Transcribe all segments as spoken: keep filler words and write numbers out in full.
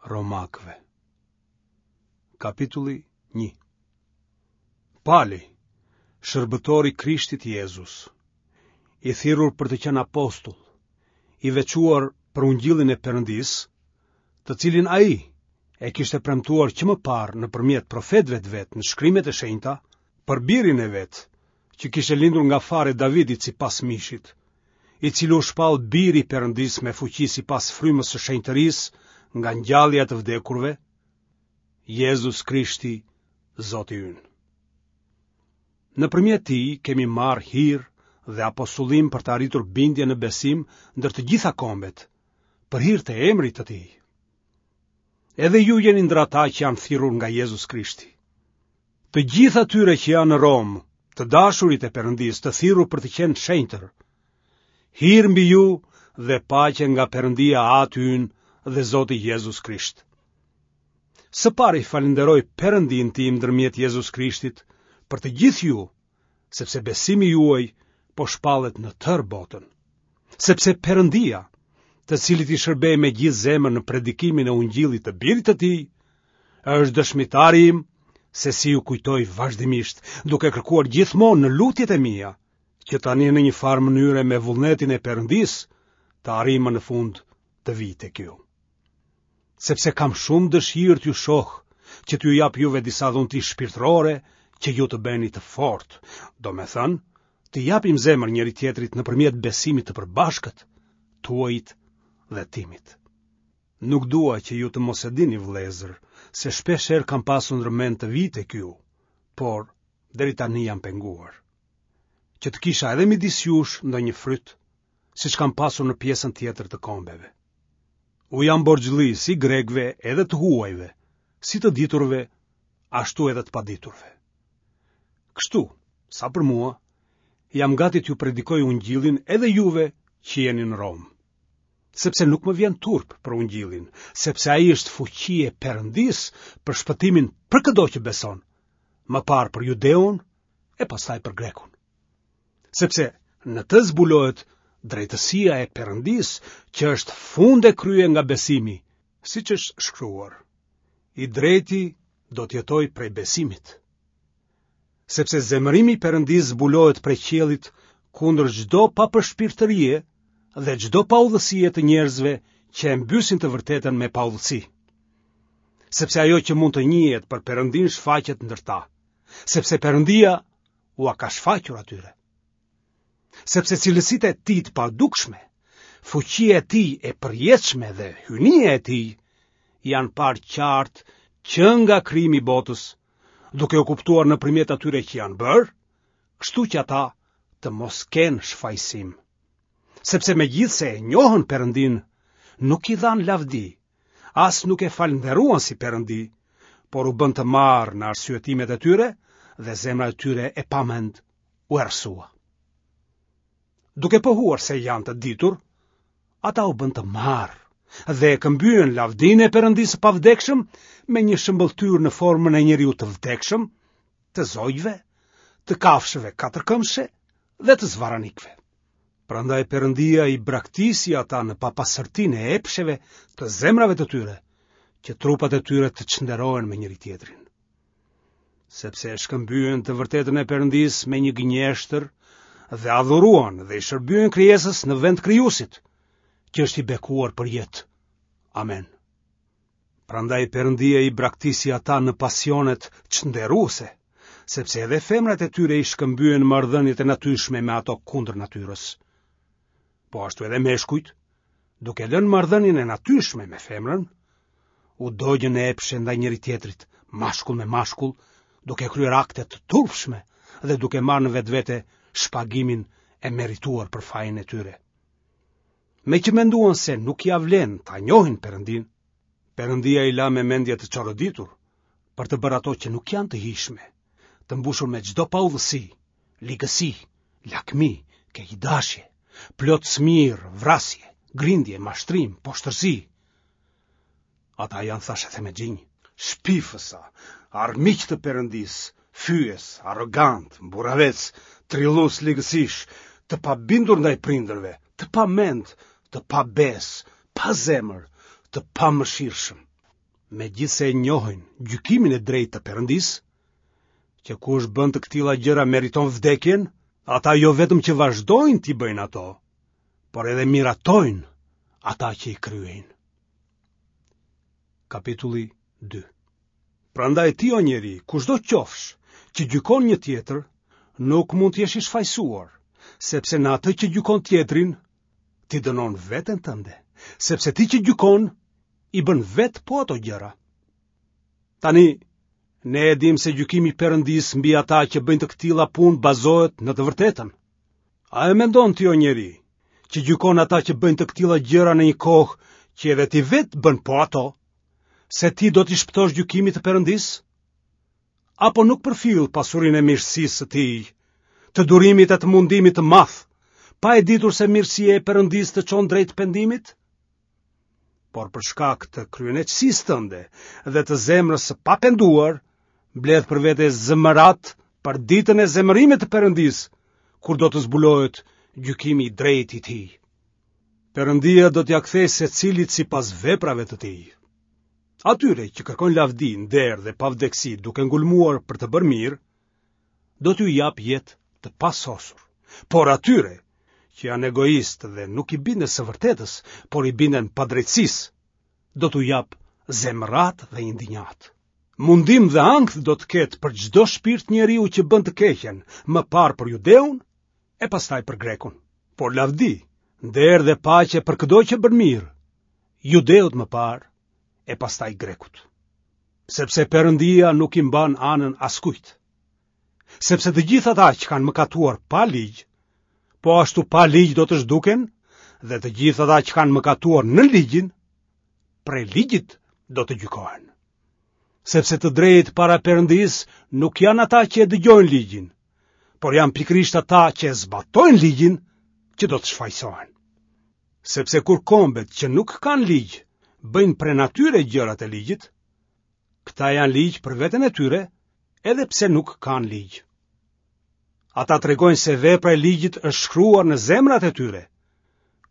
Romakëve. Kapitulli një. Pali, shërbëtor i Krishtit Jezus, i thirrur për të qenë apostull, i veçuar për ungjillin e Perëndisë, të cilin ai e kishte premtuar që më parë nëpërmjet profetëve të vet në shkrimet e shenjta, për birin e vet, që kishte lindur nga fara e Davidit sipas mishit, i cili u shpall biri i Perëndisë me fuqi sipas frymës së shenjtërisë nga ngjallja e të vdekurve, Jezus Krishti, Zoti ynë. Nëpërmjet tij kemi marrë hir dhe apostullim për të arritur bindje në besim ndër të gjitha kombet, për hir të emrit të tij. Edhe ju jeni ndër ata që janë thirrur nga Jezus Krishti. Të gjithë atyre që janë në Romë, të dashurit e Perëndisë, të thirrur për të qenë shenjtër, hir mbi ju dhe paqe nga Perëndia Ati ynë dhe Zoti Jezus Krisht. Së pari falënderoj Perëndinë tim ndërmjet Jezus Krishtit për të gjithë ju, sepse besimi juaj po shpallet në tërë botën. Sepse Perëndia, të cilit i shërbej me gjithë zemër në predikimin e ungjillit të birit të tij, është dëshmitari im se si ju kujtoj vazhdimisht, duke kërkuar gjithmonë në lutjet e mia, që tani në një farë mënyre me vullnetin e Perëndisë të arrij më në fund të vij tek ju. Sepse kam shumë dëshirë t'ju shoh, që t'ju jap juve disa dhunti shpirtërore që ju të bëheni të fortë, domethënë, të japim zemër njëri-tjetrit nëpërmjet besimit të përbashkët, tuajit dhe timit. Nuk dua që ju të mos e dini, vëllezër, se shpesh herë kam pasur ndër mend të vij tek ju, por deri tani jam penguar. Që të kisha edhe midis jush ndonjë fryt, siç kam pasur në pjesën tjetër të kombeve. U jam borxhli si grekëve edhe të huajve, si të diturve, ashtu edhe të paditurve. Kështu, sa për mua, jam gati t'ju predikoj ungjillin edhe juve që jeni në Romë. Sepse nuk më vjen turp për ungjillin, sepse ai është fuqi e Perëndisë për shpëtimin për këdo që beson, më parë për judeun e pastaj për grekun. Sepse në të zbulohet drejtësia e Perëndisë, që është fund e krye nga besimi, siç është shkruar. I drejti do të jetojë prej besimit. Sepse zemërimi i Perëndisë zbulohet prej qiellit kundër çdo papërshpirtërie dhe çdo paudhësie të njerëzve që e mbysin të vërtetën me paudhësi. Sepse ajo që mund të njihet për Perëndinë shfaqet ndër ta, sepse Perëndia ua ka shfaqur atyre. Sepse cilësitë e tij të padukshme, fuqia e tij e përjetshme dhe hyjnia e tij janë parë qartë që nga krijimi i botës, duke u kuptuar nëpërmjet atyre që janë bërë, kështu që ata të mos kenë shfajësim. Sepse megjithëse e njohën Perëndinë, nuk i dhanë lavdi, as nuk e falënderuan si Perëndi, por u bënë të marrë në arsyetimet e tyre dhe zemra e tyre e pamend u errësua. Duke pohuar se janë të ditur, ata u bënë të marrë dhe e këmbyen lavdinë e Perëndisë së pavdekshëm me një shëmbëlltyrë në formën e njeriut të vdekshëm, të zogjve, të kafshëve katërkëmbëshe dhe të zvarranikëve. Prandaj Perëndia i braktisi ata në papastërtinë e epsheve të zemrave të tyre, që trupat e tyre të çnderohen me njëri-tjetrin. Sepse e shkëmbyen të vërtetën e Perëndisë me një gënjeshtër dhe adhuruan dhe i shërbyen krijesës në vend krijuesit, që është i bekuar për jetë. Amen. Prandaj Perëndia i braktisi ata në pasionet çnderuese, sepse edhe femrat e tyre i shkëmbyen marrëdhëniet e natyrshme me ato kundër natyrës. Po ashtu edhe meshkujt, duke lënë marrëdhënien e natyrshme me femrën, u dogjën në epshe ndaj njëri-tjetrit, mashkull me mashkull, duke kryer akte të turpshme dhe duke marrë në vetvete shpagimin e merituar për fajin e tyre. Meqë menduan se nuk ia vlen ta njohin Perëndinë, Perëndia i la me mendje të çoroditur për të bërë ato që nuk janë të hijshme, të mbushur me çdo paudhësi, ligësi, lakmi, keqdashje, plot smirë, vrasje, grindje, mashtrim, poshtërsi. Ata janë thashethemexhinj, shpifësa, armiq të Perëndisë, fyes, arrogantë, mburravecë, trillues ligësish, të pabindur ndaj prindërve, të pamend, të pabesë, pa zemër, të pamëshirshëm. megjithëse e njohin gjykimin e drejtë të Perëndisë, që kush bën të këtilla gjëra meriton vdekjen, ata jo vetëm që vazhdojnë t'i bëjnë ato, por edhe miratojnë ata që i kryejnë. Kapitulli dy. Prandaj ti o njeri, kushdo qofsh, që gjykon një tjetër, nuk mund të jesh i shfajësuar, sepse në atë që gjykon tjetrin, ti dënon veten tënde, sepse ti që gjykon, i bën vetë po ato gjëra. Tani, ne e dimë se gjykimi i Perëndisë mbi ata që bëjnë të këtilla punë bazohet në të vërtetën. A e mendon ti o njeri, që gjykon ata që bëjnë të këtilla gjëra në një kohë që edhe ti vetë bën po ato, se ti do t'i shpëtosh gjykimit të Perëndisë? Apo nuk përfill pasurinë e mirësisë së tij, të durimit e të mundimit të madh, pa e ditur se mirësia e Perëndisë të çon drejt pendimit? Por për shkak të kryeneçësisë tënde dhe të zemrës së papenduar, mbledh për vete zemëratë për ditën e zemërimit të Perëndisë, kur do të zbulohet gjykimi i drejtë i tij. Perëndia do t'ia kthejë secilit sipas veprave të tij. Atyre që kërkojnë lavdi, nder dhe pavdekësi duke ngulmuar për të bërë mirë, do t'u japë jetë të pasosur. Por atyre që janë egoistë dhe nuk i binden së vërtetës, por i binden padrejtësisë, do t'u japë zemëratë dhe indinjatë. Mundim dhe ankth do të ketë për çdo shpirt njeriu që bën të keqen, më parë për judeun e pastaj për grekun. Por lavdi, nder dhe paqe për këdo që bën mirë, judeut më parë e pastaj grekut. Sepse Perëndia nuk i mban anën askujt. Sepse të gjithë ata që kanë mëkatuar pa ligj, po ashtu pa ligj do të zhduken, dhe të gjithë ata që kanë mëkatuar në ligjin, prej ligjit do të gjykohen. Sepse të drejtë para Perëndisë nuk janë ata që e dëgjojnë ligjin, por janë pikërisht ata që e zbatojnë ligjin që do të shfajësohen. Sepse kur kombet që nuk kanë ligj bëjnë prej natyre gjërat e ligjit, këta janë ligj për veten e tyre, edhe pse nuk kanë ligj. Ata tregojnë se vepra e ligjit është shkruar në zemrat e tyre.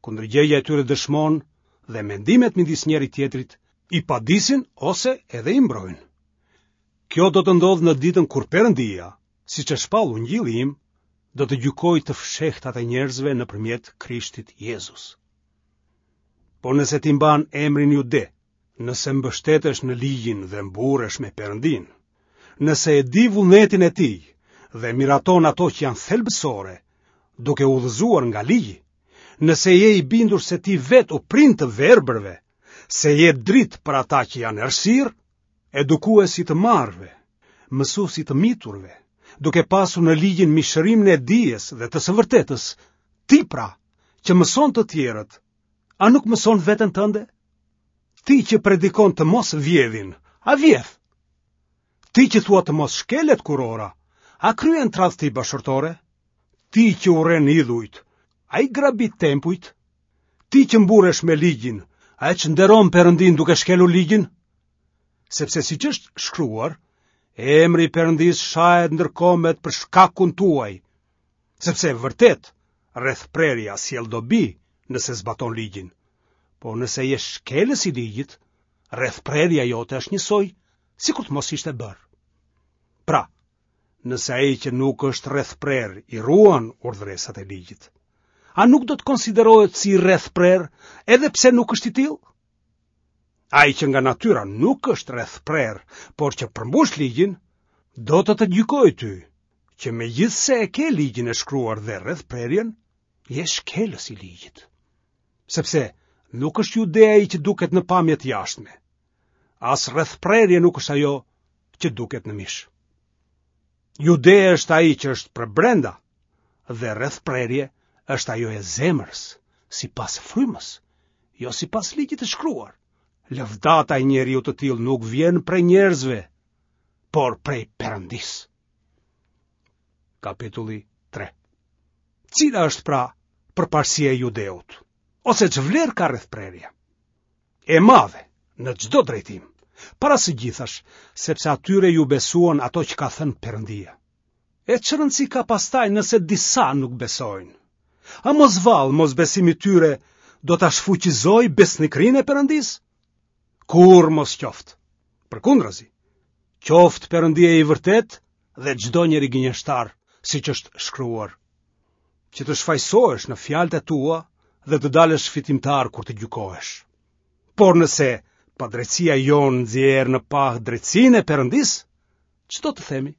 Kundërgjegja e tyre dëshmon dhe mendimet midis njëri tjetrit i padisin ose edhe i mbrojnë. Kjo do të ndodhë në ditën kur Perëndia, siç e shpall ungjilli im, do të gjykojë të fshehtat e njerëzve nëpërmjet Krishtit Jezus. Por nëse ti mban emrin Jude, nëse mbështetesh në ligjin dhe mburresh me Perëndinë, nëse e di vullnetin e tij dhe miraton ato që janë thelbësore, duke u udhëzuar nga ligji, nëse je i bindur se ti vetë u prin të verbërve, se je dritë për ata që janë errësirë, edukues i të marrëve, mësues i të miturve, duke pasur në ligjin mishërimin e dijes dhe të së vërtetës, ti pra, që mëson të tjerët, a nuk mëson veten tënde? Ti që predikon të mos vjedhin, a vjedh? Ti që thua të mos shkelet kurora, a kryen tradhti bashkëshortore? Ti që urren idhujt, a i grabit tempujt? Ti që mburresh me ligjin, a e çnderon Perëndinë duke shkelur ligjin? Sepse siç është shkruar, emri i Perëndisë shahet ndër kombet për shkakun tuaj, sepse vërtet rrethprerja sjell dobi nëse zbaton ligjin, por nëse je shkelës i ligjit, rrethprerja jote është njësoj sikur të mos ishte bërë. Pra, nëse ai që nuk është rrethprerë i ruan urdhëresat e ligjit, a nuk do të konsiderohet si rrethprerë edhe pse nuk është i tillë? Ai që nga natyra nuk është rrethprerë, por që përmbush ligjin, do të të gjykojë ty, që megjithëse e ke ligjin e shkruar dhe rrethprerjen, je shkelës i ligjit. Sepse nuk është jude ai që duket në pamje të jashtme, as rrethprerje nuk është ajo që duket në mish. Jude është ai që është përbrenda dhe rrethprerje është ajo e zemrës, sipas frymës, jo sipas ligjit të shkruar. Lëvdata e njeriut të tillë nuk vjen prej njerëzve, por prej Perëndisë. Kapitulli tre. Cila është pra përparësia e judeut? Ose ç'vlerë ka rrethprerja? E madhe në çdo drejtim, para së gjithash, sepse atyre ju besuan ato që ka thënë Perëndia. E ç'rëndësi ka pastaj nëse disa nuk besojnë? A mos vallë mosbesimi i tyre do ta shfuqizojë besnikërinë e Perëndisë? Kurrë mos qoftë. Përkundrazi, qoftë Perëndia i vërtetë dhe çdo njeri gënjeshtar, siç është shkruar, që të shfajësohesh në fjalët e tua dhe të dalësh fitimtar kur të gjykohesh. Por nëse padrejtësia jonë nxjerr në pah drejtësinë e Perëndisë, ç'do të themi?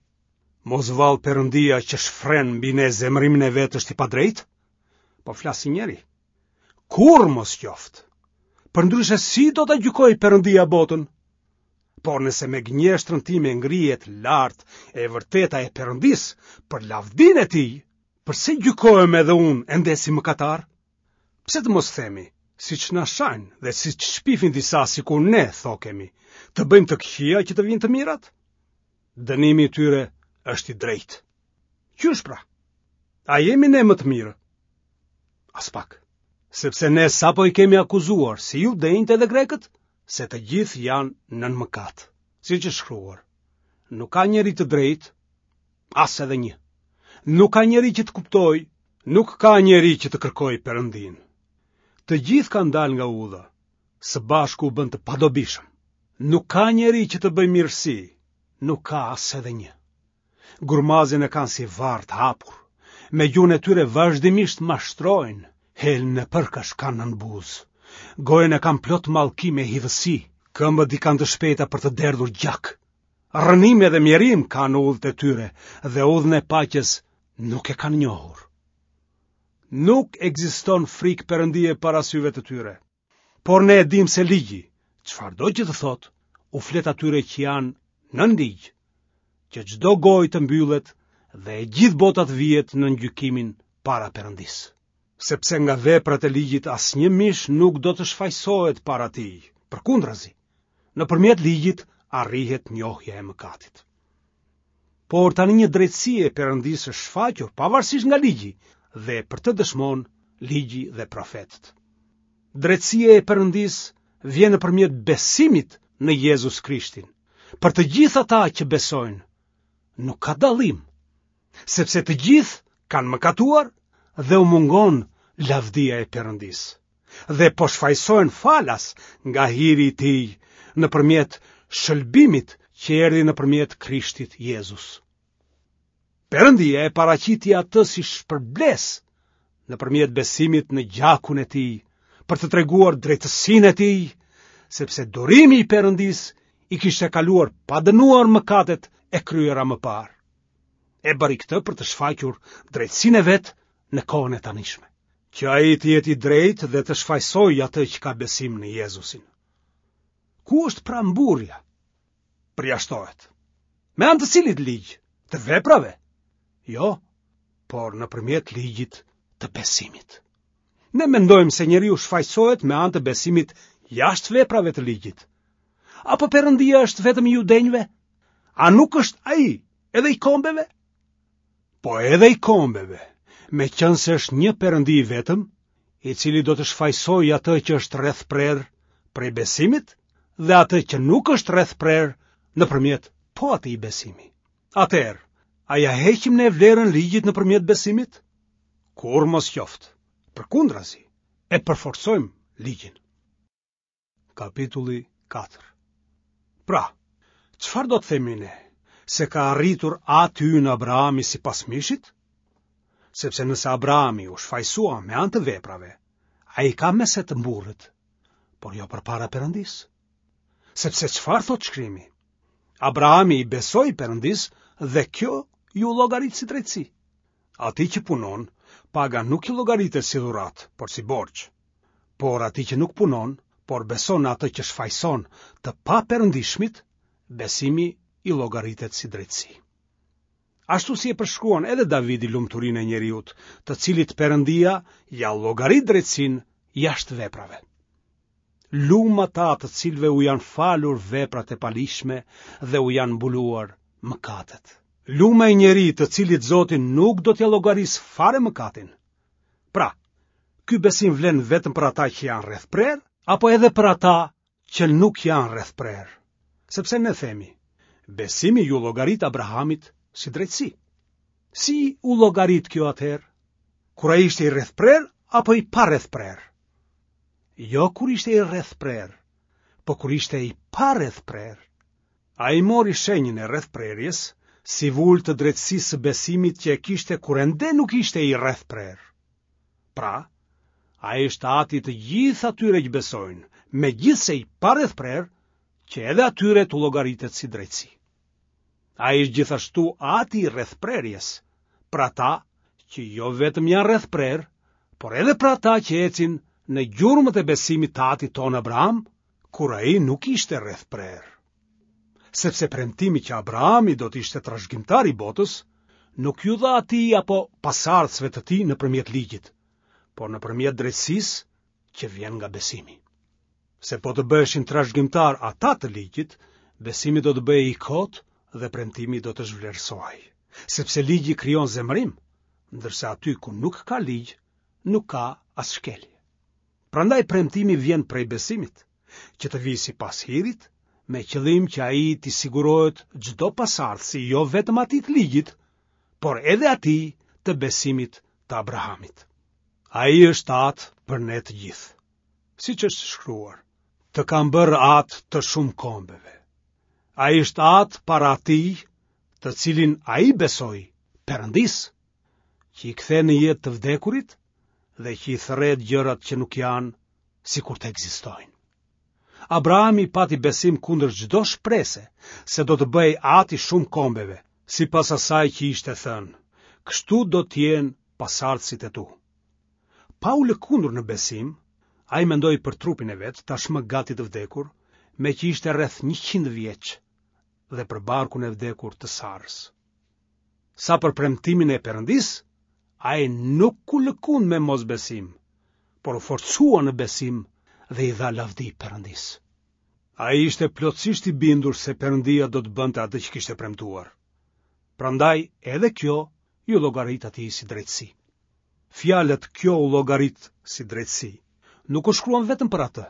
Mos vallë Perëndia që shfren mbi ne zemërimin e vet është i padrejtë? Po flas si njeri. Kurrë mos qoftë. Përndryshe si do ta gjykojë Perëndia botën? Por nëse me gënjeshtrën time ngrihet lart e vërteta e Perëndisë për lavdinë e tij, përse gjykohem edhe unë ende si mëkatar? Pse të mos themi, siç na shajnë dhe siç shpifin disa sikur ne thokemi, të bëjmë të këqija që të vijnë të mirat? Dënimi i tyre është i drejtë. Qysh pra? A jemi ne më të mirë? Aspak. Sepse ne sapo i kemi akuzuar si judenjtë edhe grekët, se të gjithë janë nën mëkat, siç është shkruar. Nuk ka njeri të drejtë, as edhe një. Nuk ka njeri që të kuptojë, nuk ka njeri që të kërkojë Perëndinë. Të gjithë kanë dalë nga udha, së bashku u bënë të padobishëm. Nuk ka njeri që të bëjë mirësi, nuk ka as edhe një. Gurmazin e kanë si varr të hapur, me gjuhën e tyre vazhdimisht mashtrojnë, helmin e përkash kanë nën buzë. Gojën e kanë plot mallkim e hidhësi, këmbët i kanë të shpejta për të derdhur gjak. Rrënim edhe mjerim kanë udhët e tyre dhe udhën e paqes nuk e kanë njohur. Nuk ekziston frikë Perëndie para syve të tyre. Por ne e dimë se ligji, çfarëdo që të thotë, u flet atyre që janë nën ligj, që çdo gojë të mbyllet dhe e gjithë bota të vihet nën gjykimin para Perëndisë. Sepse nga veprat e ligjit asnjë mish nuk do të shfajësohet para tij, përkundrazi, nëpërmjet ligjit arrihet njohja e mëkatit. Por tani një drejtësi e Perëndisë është shfaqur pavarësisht nga ligji dhe për të dëshmon ligji dhe profetët. Drejtësia e Perëndisë vjen nëpërmjet besimit në Jezus Krishtin. Për të gjithë ata që besojnë, nuk ka dallim, sepse të gjithë kanë mëkatuar dhe u mungon lavdia e Perëndisë dhe po shfajësohen falas nga hiri i tij nëpërmjet shëlbimit që erdhi nëpërmjet Krishtit Jezus. Perëndia e paraqiti atë si shpërblesë nëpërmjet besimit në gjakun e tij, për të treguar drejtësinë e tij, sepse durimi i Perëndisë i kishte kaluar pa dënuar mëkatet e kryera më parë. E bëri këtë për të shfaqur drejtësinë e vet në kohën e tanishme, që ai të jetë i drejtë dhe të shfajësojë atë që ka besim në Jezusin. Ku është pra mburrja? Përjashtohet. Me anë të cilit ligj? Të veprave? Jo, por nëpërmjet ligjit të besimit. Ne mendojmë se njeriu shfajësohet me anë të besimit jashtë veprave të ligjit. Apo Perëndia është vetëm i judenjve? A nuk është ai edhe i kombeve? Po edhe i kombeve, meqenëse është një Perëndi i vetëm, i cili do të shfajësojë atë që është rrethprerë prej besimit dhe atë që nuk është rrethprerë nëpërmjet po atij besimi. Atëherë, a ia heqim ne vlerën ligjit nëpërmjet besimit? Kurrë mos qoftë. Përkundrazi, e përforcojmë ligjin. Kapitulli katër. Pra, çfarë do të themi ne? Se ka arritur ati ynë Abrahami sipas mishit? Sepse nëse Abrahami u shfajësua me anë të veprave, ai ka me se të mburret, por jo përpara Perëndisë. Sepse çfarë thotë shkrimi? Abrahami i besoi Perëndisë dhe kjo iu llogarit si drejtësi. Atij që punon, paga nuk i llogaritet si dhuratë, por si borxh. Por atij që nuk punon, por beson në atë që shfajëson të paperëndishmit, besimi i llogaritet si drejtësi. Ashtu si e përshkruan edhe Davidi lumturinë e njeriut, të cilit Perëndia ia llogarit drejtësinë jashtë veprave. Lum ata të cilëve u janë falur veprat e paligjshme dhe u janë mbuluar mëkatet. Lum ai njeri të cilit Zoti nuk do t'ia llogarisë fare mëkatin. Pra, ky besim vlen vetëm për ata që janë rrethprerë, apo edhe për ata që nuk janë rrethprerë? Sepse ne themi, besimi iu llogarit Abrahamit si drejtësi. Si u llogarit kjo atëherë? Kur ai ishte i rrethprerë apo i parrethprerë? Jo kur ishte i rrethprerë, po kur ishte i parrethprerë. Ai mori shenjën e rrethprerjes si vulë të drejtësisë së besimit që e kishte kur ende nuk ishte i rrethprerë. Pra, ai është ati i të gjithë atyre që besojnë, megjithëse i parrethprerë, që edhe atyre t'u llogaritet si drejtësi. Ai është gjithashtu ati i rrethprerjes, për ata që jo vetëm janë rrethprerë, por edhe për ata që ecin në gjurmët e besimit të atit tonë Abraham, kur ai nuk ishte rrethprerë. Sepse premtimi që Abrahami do të ishte trashëgimtar i botës, nuk iu dha atij apo pasardhësve të tij nëpërmjet ligjit, por nëpërmjet drejtësisë që vjen nga besimi. Se po të bëheshin trashëgimtarë ata të ligjit, besimi do të bëhej i kotë dhe premtimi do të zhvlerësohej. Sepse ligji krijon zemërim, ndërsa aty ku nuk ka ligj, nuk ka as shkelje. Prandaj premtimi vjen prej besimit, që të vijë sipas hirit, me qëllim që ai t'i sigurohet çdo pasardhësi, jo vetëm atij të ligjit, por edhe atij të besimit të Abrahamit. Ai është atë për ne të gjithë. Siç është shkruar, të kam bërë atë të shumë kombeve. Ai është atë para atij, të cilin ai besoi, Perëndisë, që i kthen në jetë të vdekurit dhe që i thërret gjërat që nuk janë sikur të ekzistojnë. Abrahami pati besim kundër çdo shprese se do të bëhej ati i shumë kombeve, sipas asaj që ishte thënë, kështu do të jenë pasardhësit e tu. Pa u lëkundur në besim, ai mendoi për trupin e vet, tashmë gati të vdekur, meqë ishte rreth njëqind vjeç, dhe për barkun e vdekur të Sarës. Sa për premtimin e Perëndisë, ai nuk u lëkund me mosbesim, por u forcua në besim dhe i dha lavdi Perëndisë. Ai ishte plotësisht i bindur se Perëndia do të bënte atë që kishte premtuar. Prandaj edhe kjo iu llogarit atij si drejtësi. Fjalët kjo u llogarit si drejtësi nuk u shkruan vetëm për atë,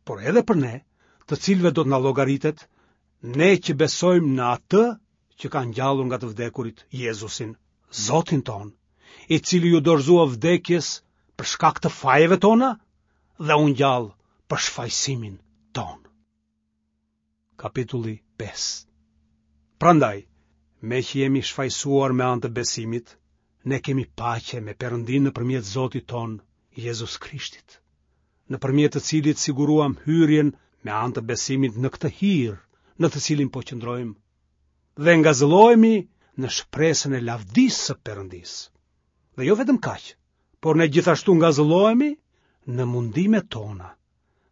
por edhe për ne, të cilëve do të na llogaritet, ne që besojmë në atë që ka ngjallur nga të vdekurit Jezusin, Zotin tonë, i cili iu dorëzua vdekjes për shkak të fajeve tona dhe u ngjall për shfajësimin tonë. Kapitulli pesë. Prandaj, meqë jemi shfajësuar me anë të besimit, ne kemi paqe me Perëndinë nëpërmjet Zotit tonë, Jezus Krishtit, nëpërmjet të cilit siguruam hyrjen me anë të besimit në këtë hir, në të cilin po qëndrojmë, dhe ngazëllohemi në shpresën e lavdisë së Perëndisë. Dhe jo vetëm kaq, por ne gjithashtu ngazëllohemi në mundimet tona,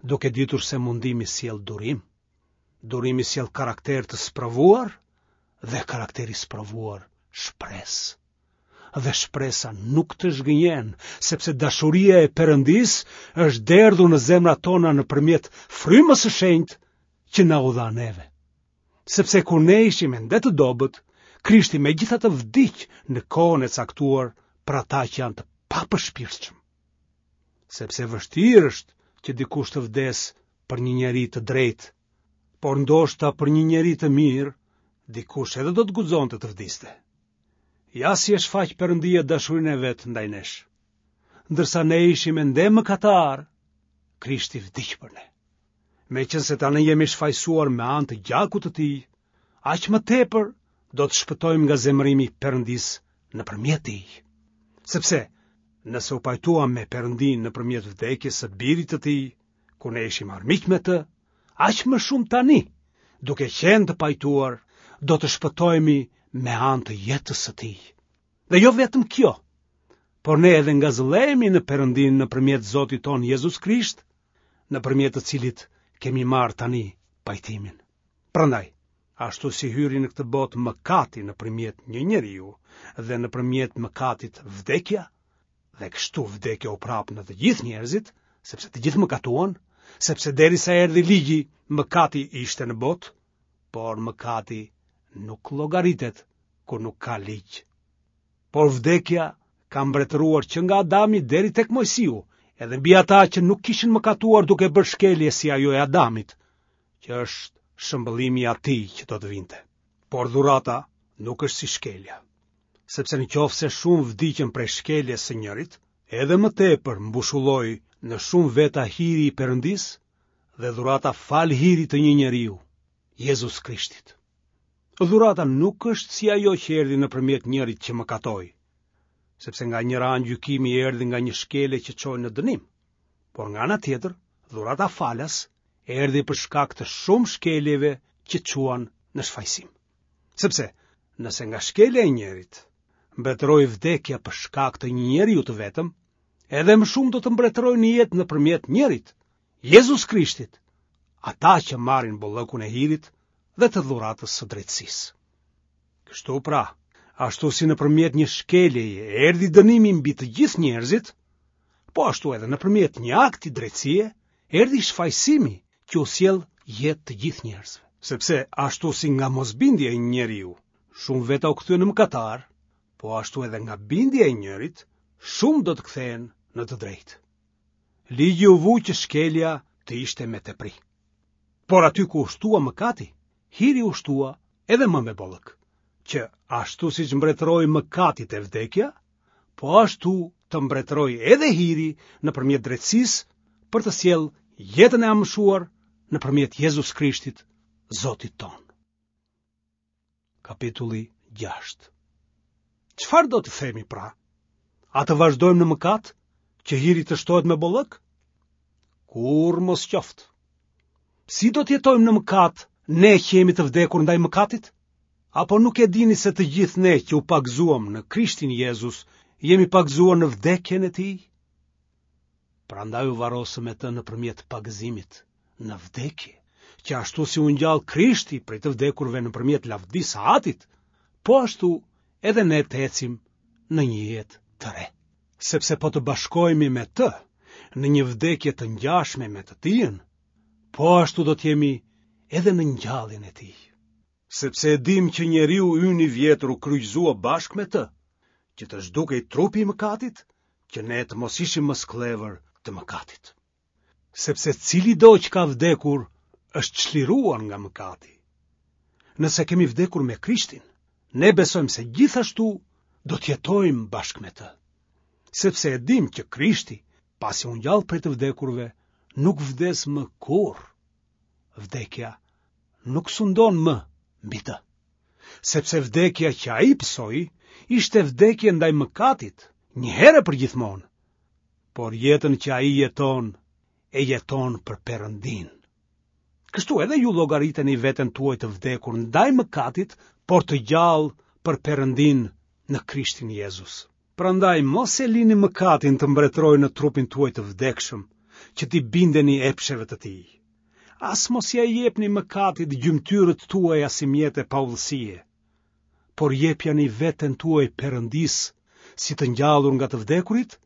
duke ditur se mundimi sjell durim. Durimi sjell karakter të sprovuar dhe karakteri i sprovuar shpresë. Dhe shpresa nuk të zhgënjen, sepse dashuria e Perëndisë është derdhur në zemrat tona nëpërmjet frymës së shenjtë që na u dha neve. Sepse kur ne ishim ende të dobët, Krishti megjithatë vdiq në kohën e caktuar për ata që janë të papërshpirtshëm. Sepse vështirë është që dikush të vdesë për një njeri të drejtë, por ndoshta për një njeri të mirë, dikush edhe do të guxonte të vdiste. Ja si e shfaq Perëndia dashurinë e vet ndaj nesh. Ndërsa ne ishim ende mëkatarë, Krishti vdiq për ne. Meqenëse tani jemi shfajësuar me anë të gjakut të tij, aq më tepër do të shpëtojmë nga zemërimi i Perëndisë nëpërmjet tij. Sepse nëse u pajtuam me Perëndinë nëpërmjet vdekjes së birit të tij, kur ne ishim armiq me të, aq më shumë tani, duke qenë të pajtuar, do të shpëtohemi me anë të jetës së tij. Dhe jo vetëm kjo, por ne edhe ngazëllehemi në Perëndinë nëpërmjet Zotit tonë Jezus Krisht, nëpërmjet të cilit kemi marrë tani pajtimin. Prandaj, ashtu si hyri në këtë botë mëkati nëpërmjet një njeriu dhe nëpërmjet mëkatit vdekja, dhe kështu vdekja u përhap në të gjithë njerëzit, sepse të gjithë mëkatuan, sepse derisa erdhi ligji, mëkati ishte në botë, por mëkati nuk llogaritet kur nuk ka ligj. Por vdekja ka mbretëruar që nga Adami deri tek Moisiu, edhe mbi ata që nuk kishin mëkatuar duke bërë shkelje si ajo e Adamit, që është shëmbëllimi i atij që do të vinte. Por dhurata nuk është si shkelja, sepse në qoftë se shumë vdiqën prej shkeljes së njërit, edhe më tepër mbushulloi në shumë veta hiri i Perëndisë dhe dhurata falë hirit të një njeriu, Jezus Krishtit. Dhurata nuk është si ajo që erdhi nëpërmjet njërit që mëkatoi, sepse nga njëra anë gjykimi erdhi nga një shkelje që çoi në dënim, por nga ana tjetër, dhurata falas erdhi për shkak të shumë shkeljeve që çuan në shfajësim. Sepse, nëse nga shkelja e njërit mbretëroi vdekja për shkak të një njeriu të vetëm, edhe më shumë do të mbretërojë në jetë nëpërmjet njërit, Jezus Krishtit, ata që marrin bollëkun e hirit dhe të dhuratës së drejtësisë. Kështu pra, ashtu si nëpërmjet një shkeljeje erdhi dënimi mbi të gjithë njerëzit, po ashtu edhe nëpërmjet një akti drejtësie erdhi shfajësimi që u sjell jetë të gjithë njerëzve. Sepse ashtu si nga mosbindja e një njeriu, shumë veta u kthyen në mëkatarë, po ashtu edhe nga bindja e njërit, shumë do të kthehen në të drejtë. Ligji u vu që shkelja të ishte me tepri. Por aty ku u shtua mëkati, hiri u shtua edhe më me bollëk, që ashtu siç mbretëroi mëkati te vdekja, po ashtu të mbretërojë edhe hiri nëpërmjet drejtësisë për të sjellë jetën e amshuar nëpërmjet Jezus Krishtit, Zotit tonë. Kapitulli gjashtë. Çfarë do të themi pra? A të vazhdojmë në mëkat që hiri të shtohet me bollëk? Kurrë mos qoftë. Si do të jetojmë në mëkat ne që jemi të vdekur ndaj mëkatit? Apo nuk e dini se të gjithë ne që u pagëzuam në Krishtin Jezus, jemi pagëzuar në vdekjen e tij? Prandaj u varrosëm me të nëpërmjet pagëzimit në vdekje, që ashtu si u ngjall Krishti prej të vdekurve nëpërmjet lavdisë së Atit, po ashtu edhe ne të ecim në një jetë të re. Sepse po të bashkohemi me të në një vdekje të ngjashme me të tijën, po ashtu do të jemi edhe në ngjalljen e tij. Sepse e dimë që njeriu ynë i vjetër u kryqëzua bashkë me të, që të zhdukej trupi i mëkatit, që ne të mos ishim më skllevër të mëkatit. Sepse cilido që ka vdekur është çliruar nga mëkati. Nëse kemi vdekur me Krishtin, ne besojmë se gjithashtu do të jetojmë bashkë me të. Sepse e dimë që Krishti, pasi u ngjall prej të vdekurve, nuk vdes më kurrë. Vdekja nuk sundon më mbi të. Sepse vdekja që ai pësoi ishte vdekje ndaj mëkatit, një herë për gjithmonë. Por jetën që ai jeton, e jeton për Perëndinë. Kështu edhe ju llogariteni veten tuaj të vdekur ndaj mëkatit, por të gjallë për Perëndinë në Krishtin Jezus. Prandaj mos e lini mëkatin të mbretërojë në trupin tuaj të vdekshëm, që t'i bindeni epsheve të tij. As mos ia jepni mëkatit gjymtyrët tuaja si mjete paudhësie, por jepjani veten tuaj Perëndisë si të ngjallur nga të vdekurit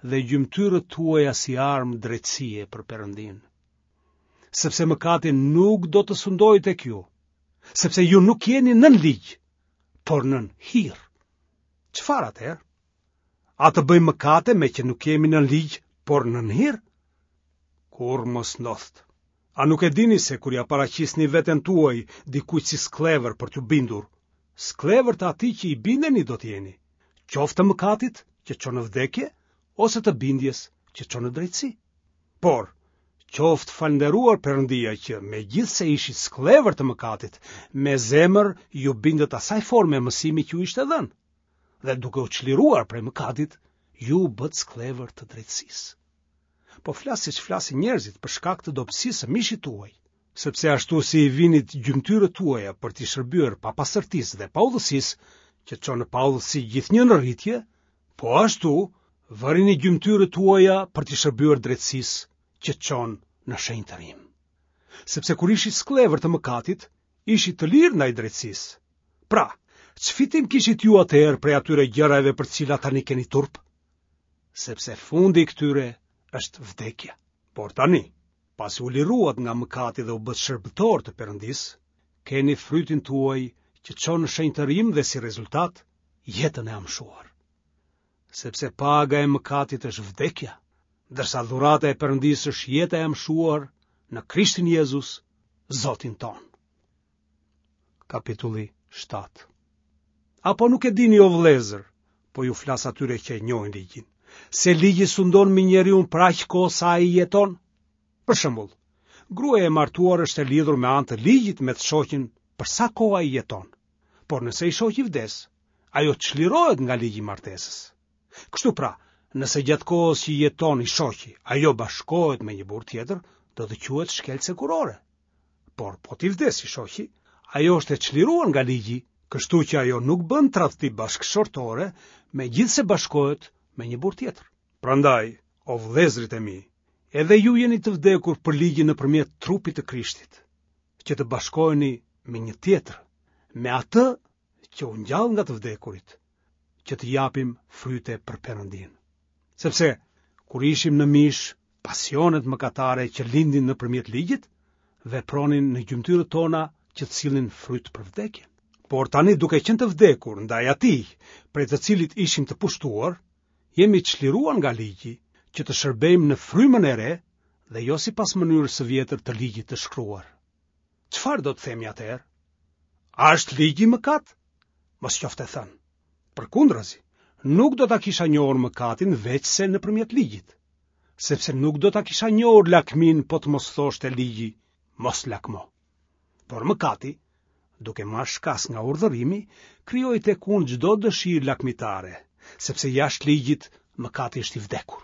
dhe gjymtyrët tuaja si armë drejtësie për Perëndinë. Sepse mëkati nuk do të sundojë tek ju, sepse ju nuk jeni nën ligj, por nën hir. Çfarë atëherë? A të bëjmë mëkate me që nuk jemi nën ligj, por nën hir? Kurrë mos ndodhtë. A nuk e dini se kur ia paraqisni veten tuaj dikujt si skllevër për t'u bindur, skllevër të atij që i bindeni do të jeni, qoftë të mëkatit që çon në vdekje, ose të bindjes që çon në drejtësi. Por, qoftë falënderuar Perëndia që, megjithëse ishit skllevër të mëkatit, me zemër ju bindët asaj forme mësimi që ju ishte dhënë, dhe duke u çliruar prej mëkatit, ju u bëtë skllevër të drejtësisë. Po flas siç flasin njerëzit për shkak të dobësisë së mishit tuaj, sepse ashtu si i vinit gjymtyrët tuaja për t'i shërbyer papastërtisë dhe paudhësisë, që çon në paudhësi gjithnjë në rritje, po ashtu vërini gjymtyrët tuaja për t'i shërbyer drejtësisë, që çon në shenjtërim. Sepse kur ishit skllevër të mëkatit, ishit të lirë ndaj drejtësisë. Pra, ç'fitim kishit ju atëherë prej atyre gjërave për të cilat tani keni turp? Sepse fundi i këtyre është vdekja. Por tani, pasi u liruat nga mëkati dhe u bëtë shërbëtor të Perëndisë, keni frytin tuaj që çon në shenjtërim dhe si rezultat jetën e amshuar. Sepse paga e mëkatit është vdekja, ndërsa dhurata e Perëndisë është jeta e amshuar në Krishtin Jezus, Zotin tonë. Kapitulli shtatë. Apo nuk e dini o vëllezër, po ju flas atyre që e njohin ligjin, se ligji sundon mbi njeriun për aq kohë sa ai jeton? Për shembull, Gruaja e martuar është e lidhur me anë të ligjit me të shoqin për sa kohë ai jeton. Por nëse i shoqi vdes, ajo çlirohet nga ligji i martesës. Kështu pra, nëse gjatë kohës që jeton i shoqi, ajo bashkohet me një burrë tjetër, do të quhet shkelëse kurore. Por po t'i vdes i shoqi, ajo është e çliruar nga ligji, kështu që ajo nuk bën tradhti bashkëshortore, megjithëse bashkohet me një burrë tjetër. Prandaj, o vëllezërit e mi, edhe ju jeni të vdekur për ligjin nëpërmjet trupit të Krishtit, që të bashkoheni me një tjetër, me atë që u ngjall nga të vdekurit, që të japim fryte për Perëndinë. Sepse kur ishim në mish, pasionet mëkatare që lindin nëpërmjet ligjit, vepronin në gjymtyrët tona që të sillnin fryt për vdekjen. Por tani duke qenë të vdekur ndaj atij, prej të cilit ishim të pushtuar, jemi çliruar nga ligji që të shërbejmë në frymën e re dhe jo sipas mënyrës së vjetër të ligjit të shkruar. Çfarë do të themi atëherë? A është ligji mëkat? Mos qoftë e thënë. Përkundrazi, nuk do ta kisha njohur mëkatin veçse nëpërmjet ligjit, sepse nuk do ta kisha njohur lakminë po të mos thoshte ligji, mos lakmo. Por mëkati, duke marrë shkas nga urdhërimi, krijoi tek unë çdo dëshirë lakmitare, sepse jashtë ligjit mëkati është i vdekur.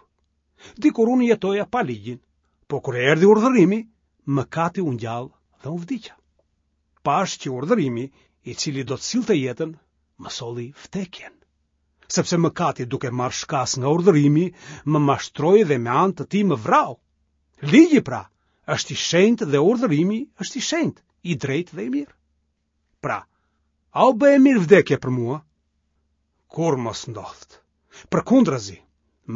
Dikur unë jetoja pa ligjin, po kur erdhi urdhërimi, mëkati u ngjall dhe unë vdiqa. Pashë që urdhërimi, i cili do të sillte jetën, më solli vdekjen. Sepse mëkati duke marrë shkas nga urdhërimi, më mashtroi dhe me anë të tij më vrau. Ligji pra, është i shenjtë dhe urdhërimi është i shenjtë, i drejtë dhe i mirë. Pra, a u bë e mirë vdekja për mua? Kurrë mos ndodhtë. Përkundrazi,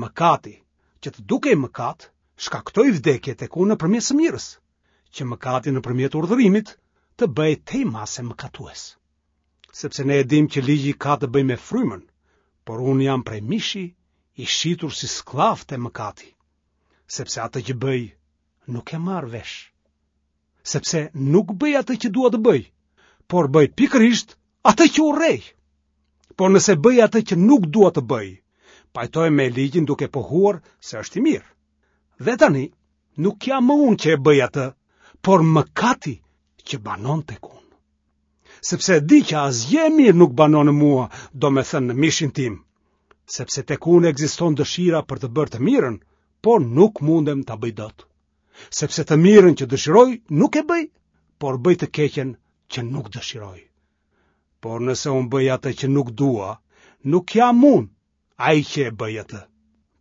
mëkati, që të dukej mëkat, shkaktoi vdekje tek unë nëpërmjet së mirës, që mëkati nëpërmjet urdhërimit të bëhej tej mase mëkatues. Sepse ne e dimë që ligji ka të bëjë me frymën, por unë jam prej mishi i shitur si skllav te mëkati, sepse atë që bëj nuk e marr vesh. Sepse nuk bëj atë që dua të bëj, por bëj pikërisht atë që urrej. Por nëse bëj atë që nuk dua të bëj, pajtohem me ligjin duke pohuar se është i mirë. Dhe tani, nuk jam më unë që e bëj atë, por mëkati që banon tek unë. Sepse e di që asgjë e mirë nuk banon në mua, domethënë në mishin tim, sepse tek unë ekziston dëshira për të bërë të mirën, por nuk mundem ta bëj dot. Sepse të mirën që dëshiroj nuk e bëj, por bëj të keqen që nuk dëshiroj. Por nëse unë bëj atë që nuk dua, nuk jam unë ai që e bëj atë,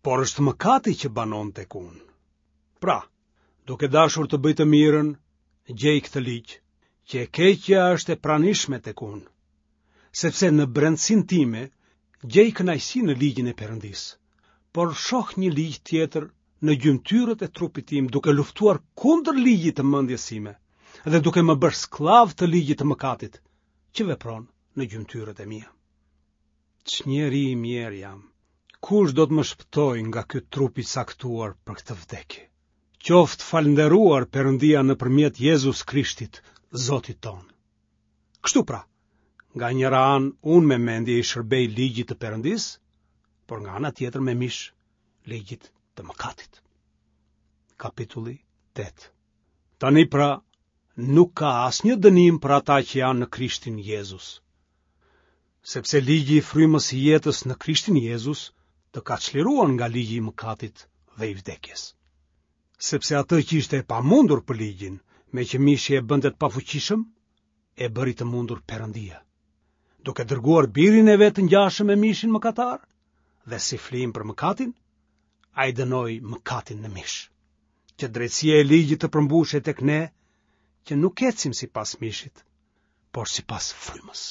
por është mëkati që banon tek unë. Pra, duke dashur të bëj të mirën, gjej këtë ligj, që e keqja është e pranishme tek unë, sepse në brendësinë time gjej kënaqësi në ligjin e Perëndisë, por shoh një ligj tjetër në gjymtyrët e trupit tim duke luftuar kundër ligjit të mendjes sime dhe duke më bërë skllav të ligjit të mëkatit që vepron në gjymtyrët e mia. Ç'njeri i mjerë jam. Kush do të më shpëtojë nga ky trup i caktuar për këtë vdekje? Qoftë falënderuar Perëndia nëpërmjet Jezus Krishtit, Zotit tonë. Kështu pra, nga njëra anë unë me mendje i shërbej ligjit të Perëndisë, por nga ana tjetër me mish ligjit të mëkatit. Kapitulli tetë. Tani pra, nuk ka asnjë dënim për ata që janë në Krishtin Jezus. Sepse ligji i frymës së jetës në Krishtin Jezus të ka çliruar nga ligji i mëkatit dhe i vdekjes. Sepse atë që ishte e pamundur për ligjin, meqë mishi e bënte të pafuqishëm, e bëri të mundur Perëndia, duke dërguar birin e vet të ngjashëm me mishin mëkatar dhe si flijim për mëkatin, ai dënoi mëkatin në mish, që drejtësia e ligjit të përmbushej tek ne, që nuk ecim sipas mishit, por sipas frymës.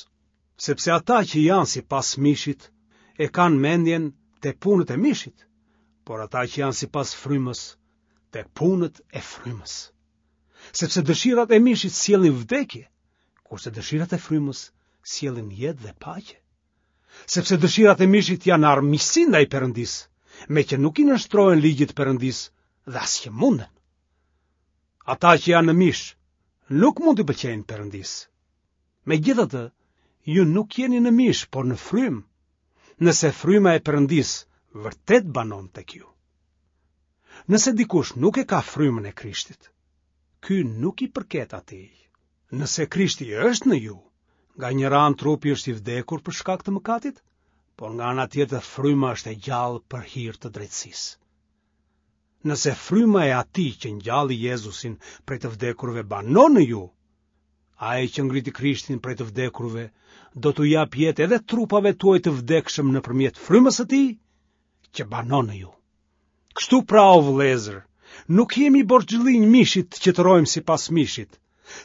Sepse ata që janë sipas mishit e kanë mendjen te punët e mishit, por ata që janë sipas frymës te punët e frymës. Sepse dëshirat e mishit sjellin vdekje, kurse dëshirat e frymës sjellin jetë dhe paqe. Sepse dëshirat e mishit janë armiqësi ndaj Perëndisë, meqë nuk i nënshtrohen ligjit të Perëndisë dhe as që munden. Ata që janë në mish nuk mund t'i pëlqejnë Perëndisë. Megjithatë, ju nuk jeni në mish, por në frymë, nëse fryma e Perëndisë vërtet banon tek ju. Nëse dikush nuk e ka frymën e Krishtit, ky nuk i përket atij. Nëse Krishti është në ju, nga njëra anë trupi është i vdekur për shkak të mëkatit, por nga ana tjetër fryma është e gjallë për hir të drejtësisë. Nëse fryma e atij që ngjalli Jezusin prej të vdekurve banon në ju, ai që ngriti Krishtin prej të vdekurve do t'u japë jetë edhe trupave tuaj të vdekshëm nëpërmjet frymës së tij që banon në ju. Kështu pra, o vëllezër, nuk jemi borxhlinj mishit që të rrojmë sipas mishit,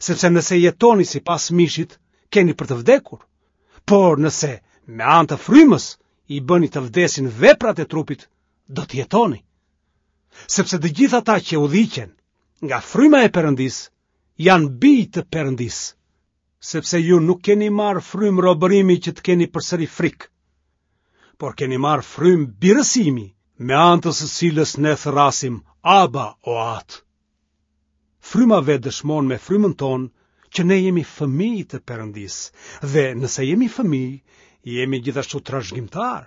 sepse nëse jetoni sipas mishit, keni për të vdekur. Por nëse me anë të frymës i bëni të vdesin veprat e trupit, do të jetoni. Sepse të gjithë ata që udhëhiqen nga fryma e Perëndisë janë bij të Perëndisë, sepse ju nuk keni marrë frymë robërimi që të keni përsëri frikë, por keni marrë frymë birësimi, me anë të së cilës ne thërrasim Aba o Atë. Fryma vetë dëshmon me frymën tonë që ne jemi fëmijë të Perëndisë, dhe nëse jemi fëmijë, jemi gjithashtu trashëgimtarë,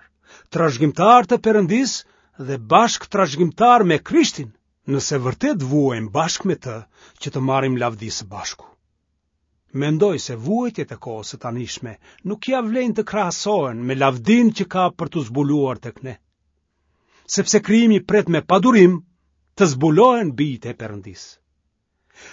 trashëgimtarë të Perëndisë dhe bashkë trashëgimtarë me Krishtin, nëse vërtet vuajmë bashkë me të që të marrim lavdi së bashku. Mendoj se vuajtjet e kohës së tanishme nuk ia vlejnë të krahasohen me lavdinë që ka për t'u zbuluar tek ne. Sepse krijimi pret me padurim të zbulohen bijtë e Perëndisë.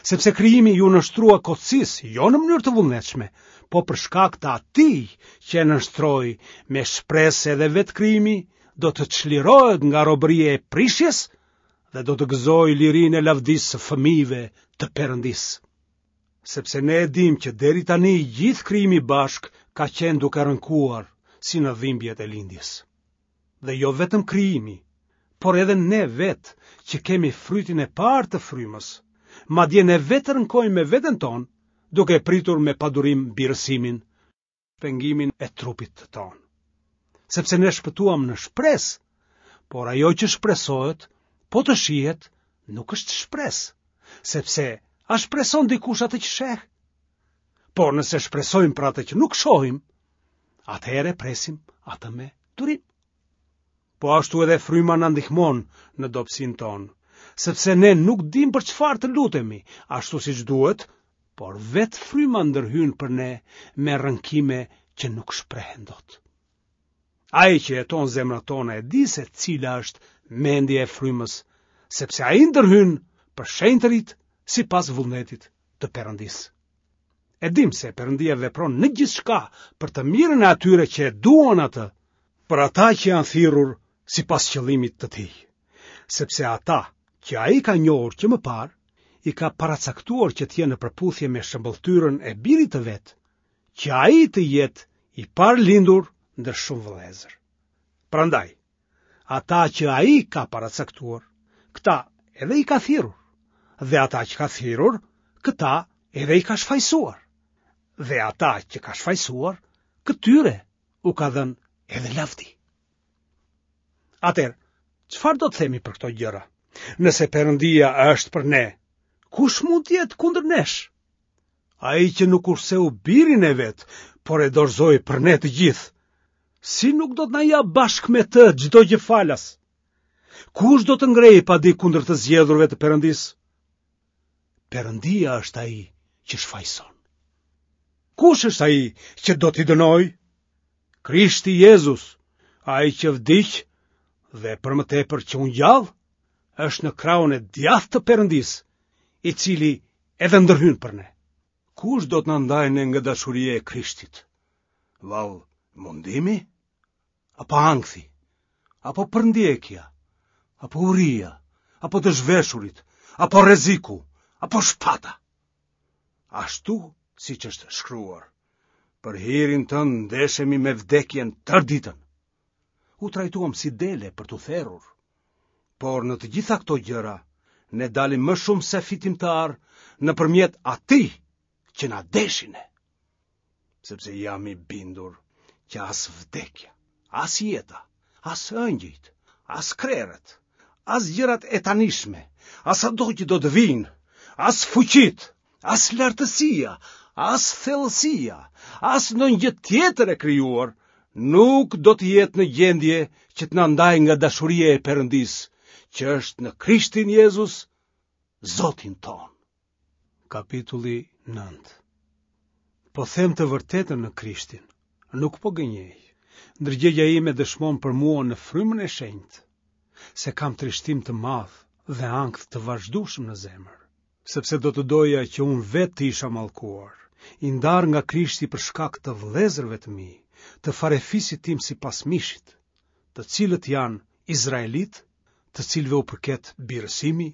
Sepse krijimi iu nënshtrua kotësisë, jo në mënyrë të vullnetshme, po për shkak të atij që e nënshtroi, me shpresë se edhe vetë krijimi do të çlirohet nga robëria e prishjes dhe do të gëzojë lirinë e lavdisë së fëmijëve të Perëndisë. Sepse ne e dimë që deri tani i gjithë krijimi bashkë ka qenë duke rënkuar si në dhimbjet e lindjes. Dhe jo vetëm krijimi, por edhe ne vetë që kemi frytin e parë të frymës, madje ne vetë rënkojmë me veten tonë, duke pritur me padurim birësimin, shpengimin e trupit tonë. Sepse ne shpëtuam në shpresë, por ajo që shpresohet, po të shihet, nuk është shpresë, sepse a shpreson dikush atë që sheh? Por nëse shpresojmë për atë që nuk shohim, atëherë presim atë me durim. Po ashtu edhe fryma na ndihmon në dobësinë tonë, sepse ne nuk dimë për çfarë të lutemi, ashtu siç duhet, por vetë fryma ndërhyn për ne me rënkime që nuk shprehen dot. Ai që heton zemrat tona e di se cila është mendja e frymës, sepse ai ndërhyn për shenjtërit sipas vullnetit të Perëndisë. E dim se Perëndia vepron në gjithçka për të mirën e atyre që e duan atë, për ata që janë thirrur sipas qëllimit të tij. Sepse ata që ai ka njohur që më parë, i ka paracaktuar që të jenë në përputhje me shëmbëlltyrën e birit të vet, që ai të jetë i parëlindur ndër shumë vëllezër. Prandaj, ata që ai ka paracaktuar, këta edhe i ka thirrur, dhe ata që ka thirrur, këta edhe i ka shfajësuar. Dhe ata që ka shfajësuar, këtyre u ka dhënë edhe lavdi. Atëherë, çfarë do të themi për këto gjëra? Nëse Perëndia është për ne, kush mund të jetë kundër nesh? Ai që nuk kurseu birin e vet, por e dorëzoi për ne të gjithë, si nuk do të na japë bashkë me të çdo gjë falas? Kush do të ngrejë padi kundër të zgjedhurve të Perëndisë? Perëndia është ai që shfajëson. Kush është ai që do t'i dënojë? Krishti Jezus, ai që vdiq dhe për më tepër që u ngjall, është në krahun e djathtë të Perëndisë, i cili edhe ndërhyn për ne. Kush do të na ndajë ne nga dashuria e Krishtit? Vallë, mundimi? Apo ankthi? Apo përndjekja? Apo uria? Apo të zhveshurit? Apo rreziku? Apo shpata? Ashtu siç është shkruar, për hirin tënd ndeshemi me vdekjen tërë ditën. U trajtuam si dele për t'u therur. Por në të gjitha këto gjëra, ne dalim më shumë se fitimtarë nëpërmjet atij që na deshi ne. Sepse jam i bindur që as vdekja, as jeta, as engjëjt, as krerët, as gjërat e tanishme, as ato që do të vijnë, as fuqitë, as lartësia, as thellësia, as ndonjë gjë tjetër e krijuar, nuk do të jetë në gjendje që të na ndajë nga dashuria e Perëndisë, që është në Krishtin Jezus, Zotin tonë. Kapitulli nëntë. Po them të vërtetën në Krishtin, nuk po gënjej. Ndërgjegja ime dëshmon për mua në frymën e shenjtë, se kam trishtim të madh dhe ankth të vazhdueshëm në zemër, sepse do të doja që unë vetë të isha mallkuar, i ndarë nga Krishti për shkak të vëllezërve të mi, të farefisit tim sipas mishit, të cilët janë izraelitë, të cilëve u përket birësimi,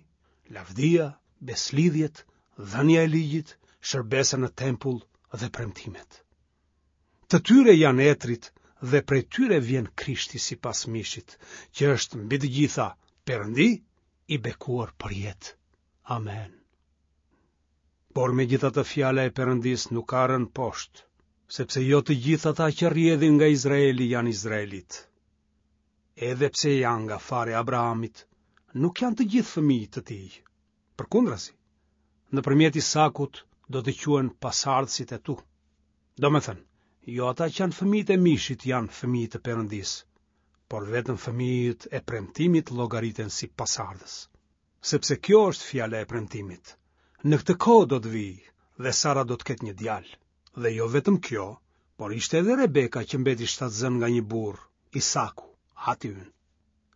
lavdia, besëlidhjet, dhënia e ligjit, shërbesa në tempull dhe premtimet. Të tyre janë etërit dhe prej tyre vjen Krishti sipas mishit, që është mbi të gjitha Perëndi i bekuar përjetë. Amen. Por megjithatë fjala e Perëndisë nuk ka rënë poshtë, sepse jo të gjithë ata që rrjedhin nga Izraeli janë izraelitë. Edhe pse janë nga fara e Abrahamit, nuk janë të gjithë fëmijë të tij. Përkundrazi, nëpërmjet Isakut do të quhen pasardhësit e tu. Domethënë, jo ata që janë fëmijët e mishit janë fëmijë të Perëndisë, por vetëm fëmijët e premtimit llogariten si pasardhës. Sepse kjo është fjala e premtimit. Në këtë kohë do të vij dhe Sara do të ketë një djalë. Dhe jo vetëm kjo, por ishte edhe Rebeka që mbeti shtatzënë nga një burrë, Isaku, ati ynë.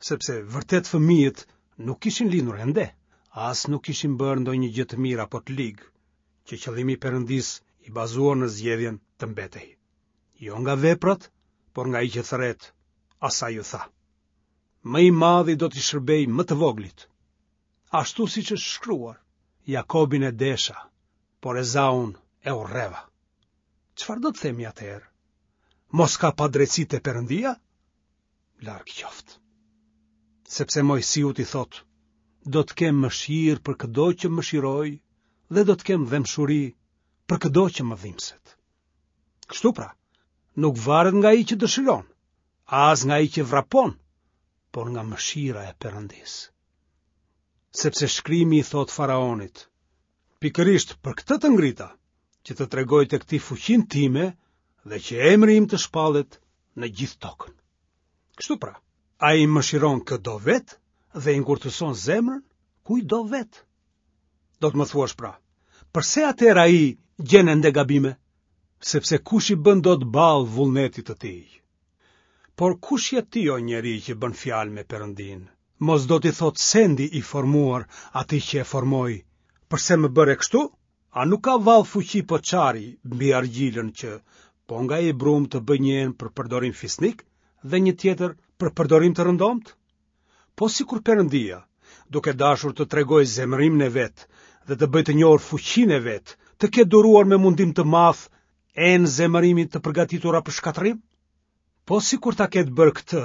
Sepse vërtet fëmijët nuk kishin lindur ende, as nuk kishin bërë ndonjë gjë të mirë apo të ligë, që qëllimi i Perëndisë i bazuar në zgjedhjen të mbetej. Jo nga veprat, por nga ai që thërret, asaj iu tha. Më i madhi do t'i shërbejë më të voglit. Ashtu siç është shkruar, Jakobin e desha, por Ezaun e urreva. Çfarë do të themi atëherë? Mos ka padrejtësi te Perëndia? Larg qoftë. Sepse Moisiut i thotë, do të kem mëshirë për këdo që mëshiroj dhe do të kem dhembshuri për këdo që më dhimbset. Kështu pra, nuk varet nga ai që dëshiron, as nga ai që vrapon, por nga mëshira e Perëndisë. Sepse shkrimi i thotë faraonit, pikërisht për këtë të ngrita, që të tregoj tek ti fuqinë time dhe që emri im të shpallet në gjithë tokën. Kështu pra, ai mëshiron kë do vetë dhe i ngurtëson zemrën kujt do vetë. Do të më thuash pra, përse atëherë ai gjen ende gabime? Sepse kush i bën dot ballë vullnetit të tij? Por kush je ti o njeri që bën fjalë me Perëndinë? Mos do t'i thotë sendi i formuar atij që e formoi, përse më bëre kështu? A nuk ka vallë fuqi poçari mbi argjilën që po nga ai brumë të bëjë një enë për përdorim fisnik dhe një tjetër për përdorim të rëndomtë? Po sikur Perëndia, duke dashur të tregojë zemërimin e vet dhe të bëjë të njohur fuqinë e vet, të ketë duruar me mundim të madh enë zemërimi të përgatitura për shkatërrim? Po sikur ta ketë bërë këtë,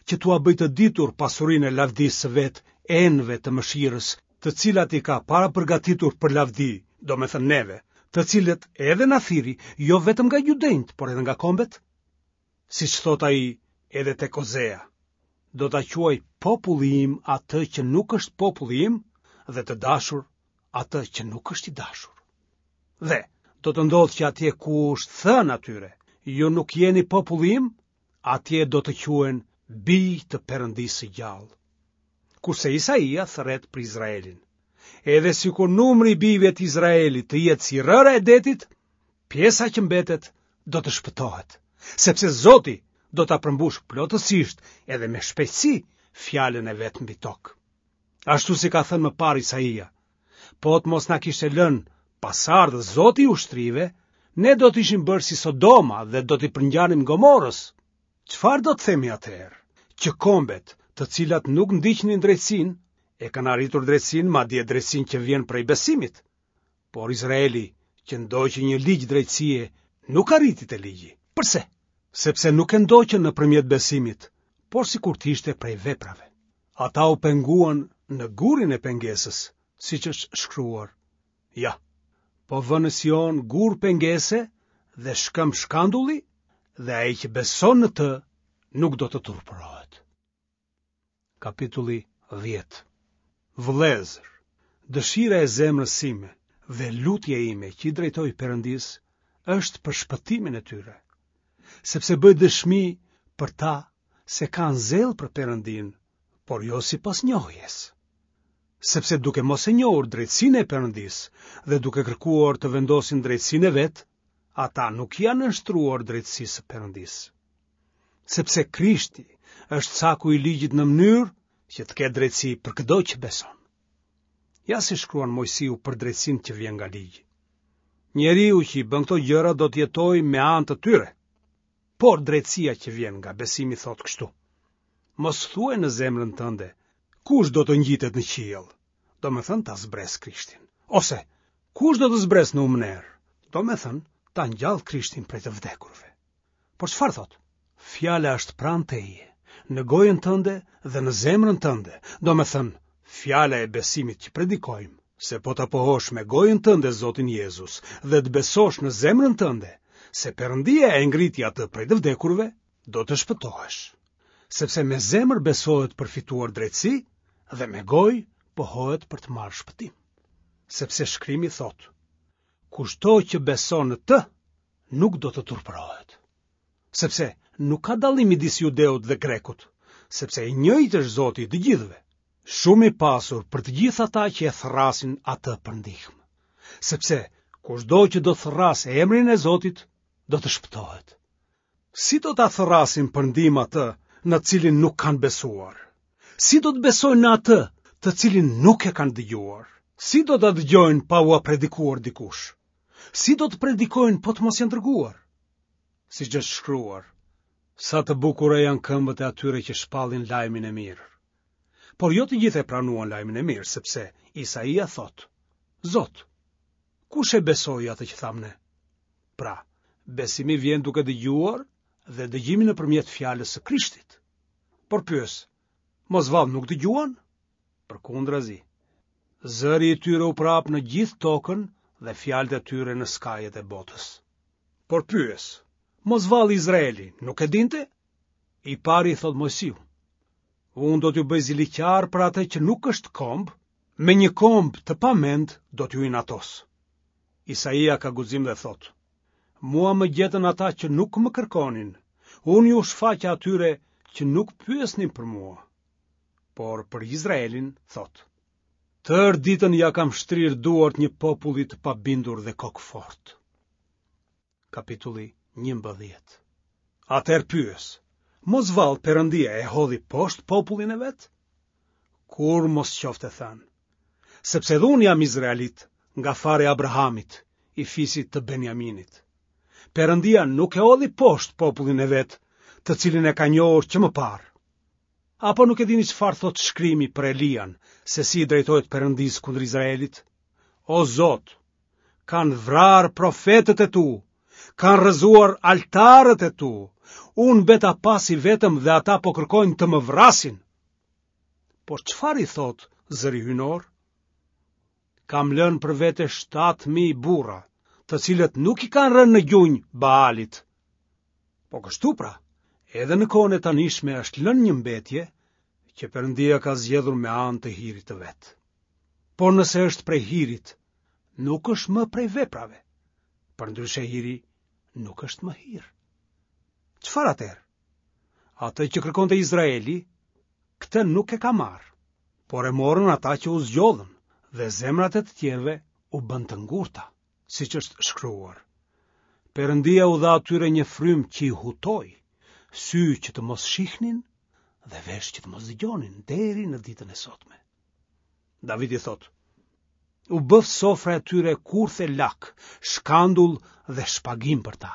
që t'ua bëjë të ditur pasurinë e lavdisë së vet enëve të mëshirës, të cilat i ka parapërgatitur për lavdi, domethënë neve, të cilët edhe na thirri, jo vetëm nga judenjtë, por edhe nga kombet? Siç thotë ai edhe tek Ozea, do ta quaj populli im atë që nuk është populli im dhe të dashur atë që nuk është i dashur. Dhe do të ndodhë që atje ku është thënë atyre, ju nuk jeni populli im, atje do të quhen bij të Perëndisë së gjallë. Kurse Isaia thërret për Izraelin. Edhe sikur numri i bijve të Izraelit të jetë si rëra e detit, pjesa që mbetet do të shpëtohet, sepse Zoti do ta përmbushë plotësisht edhe me shpejtësi fjalën e vet mbi tokë. Ashtu si ka thënë më parë Isaia, po të mos na kishte lënë pasardhës Zoti i ushtrive, ne do të ishim bërë si Sodoma dhe do t'i përngjanim Gomorës. Çfarë do të themi atëherë? Që kombet, të cilat nuk ndiqnin drejtësinë, e kanë arritur drejtësinë, madje drejtësinë që vjen prej besimit. Por Izraeli, që ndoqi një ligj drejtësie, nuk arriti te ligji. Përse? Sepse nuk e ndoqën nëpërmjet besimit, por sikur të ishte prej veprave. Ata u penguan në gurin e pengesës, siç është shkruar. Ja, po vë në Sion gur pengese dhe shkëmb shkandulli, dhe ai që beson në të nuk do të turpërohet. Kapitulli dhjetë. Vëllezër, dëshira e zemrës sime dhe lutja ime që i drejtoj Perëndisë është për shpëtimin e tyre, sepse bëj dëshmi për ta se kanë zell për Perëndinë, por jo sipas njohjes. Sepse duke mos e njohur drejtësinë e Perëndisë dhe duke kërkuar të vendosin drejtësinë e vet, ata nuk i janë nënshtruar drejtësisë së Perëndisë. Sepse Krishti është caku i ligjit në mënyrë që të ketë drejtësi për këdo që beson. Ja si shkruan Moisiu për drejtësinë që vjen nga ligji. Njeriu që i bën këto gjëra do të jetojë me anë të tyre. Por drejtësia që vjen nga besimi thotë kështu: Mos thuaj në zemrën tënde, kush do të ngjitet në qiell, domethënë ta zbresë Krishtin. Ose kush do të zbresë në humnerë, domethënë ta ngjallë Krishtin prej të vdekurve. Por çfarë thotë? Fjala është pranë teje, në gojën tënde dhe në zemrën tënde, domethënë fjala e besimit që predikojmë, se po ta pohosh me gojën tënde Zotin Jezus dhe të besosh në zemrën tënde se Perëndia e ngriti atë prej të vdekurve, do të shpëtohesh. Sepse me zemër besohet për fituar drejtësi dhe me gojë pohohet për të marrë shpëtim. Sepse shkrimi thotë, kushdo që beson në të, nuk do të turpërohet. Sepse nuk ka dallim midis judeut dhe grekut, sepse i njëjtë është Zoti i të gjithëve, shumë i pasur për të gjithë ata që e thërrasin atë për ndihmë. Sepse kushdo që do të thërrasë emrin e Zotit, do të shpëtohet. Si do ta thërrasin për ndihmë atë në të cilin nuk kanë besuar? Si do të besojnë në atë të cilin nuk e kanë dëgjuar? Si do ta dëgjojnë pa ua predikuar dikush? Si do të predikojnë po të mos janë dërguar? Siç është shkruar, sa të bukura janë këmbët e atyre që shpallin lajmin e mirë. Por jo të gjithë e pranuan lajmin e mirë, sepse Isaia thotë, Zot, kush e besoi atë që thamë ne? Pra, besimi vjen duke dëgjuar dhe dëgjimi nëpërmjet fjalës së Krishtit. Por pyes, mos vallë nuk dëgjuan? Përkundrazi, zëri i tyre u përhap në gjithë tokën dhe fjalët e tyre në skajet e botës. Por pyes, mos vallë Izraeli nuk e dinte? I pari i thotë Moisiu, unë do t'ju bëj ziliqar për atë që nuk është komb, me një komb të pamend do t'ju inatos. Isaia ka guxim dhe thotë, mua më gjetën ata që nuk më kërkonin, unë iu shfaqa atyre që nuk pyesnin për mua. Por për Izraelin thotë, tërë ditën ia kam shtrirë duart një populli të pabindur dhe kokëfortë. Kapitulli njëmbëdhjetë. Atëherë pyes, mos vallë Perëndia e hodhi poshtë popullin e vet? Kurrë mos qoftë e thënë, sepse edhe unë jam izraelit, nga fara e Abrahamit, i fisit të Benjaminit. Perëndia nuk e hodhi poshtë popullin e vet, të cilin e ka njohur që më parë. Apo nuk e dini çfarë thotë shkrimi për Elian, se si i drejtohet Perëndisë kundër Izraelit? O Zot, kanë vrarë profetët e tu, kanë rrëzuar altarët e tu, unë mbeta pas i vetëm dhe ata po kërkojnë të më vrasin. Por çfarë i thotë zëri hyjnor? Kam lënë për vete shtatë mijë burra, të cilët nuk i kanë rënë në gjunjë Baalit. Po kështu pra, edhe në kohën e tanishme është lënë një mbetje që Perëndia ka zgjedhur me anë të hirit të vet. Por nëse është prej hirit, nuk është më prej veprave. Përndryshe hiri nuk është më hir. Çfarë atëherë? Atë që kërkonte Izraeli, këtë nuk e ka marrë, por e morën ata që u zgjodhën dhe zemrat e të tjerëve u bënë të ngurta, siç është shkruar. Perëndia u dha atyre një frymë që i hutoi, sy që të mos shihnin dhe vesh që të mos dëgjonin deri në ditën e sotme. Davidi thotë, u bëftë sofra e tyre kurth e lak, shkandull dhe shpagim për ta.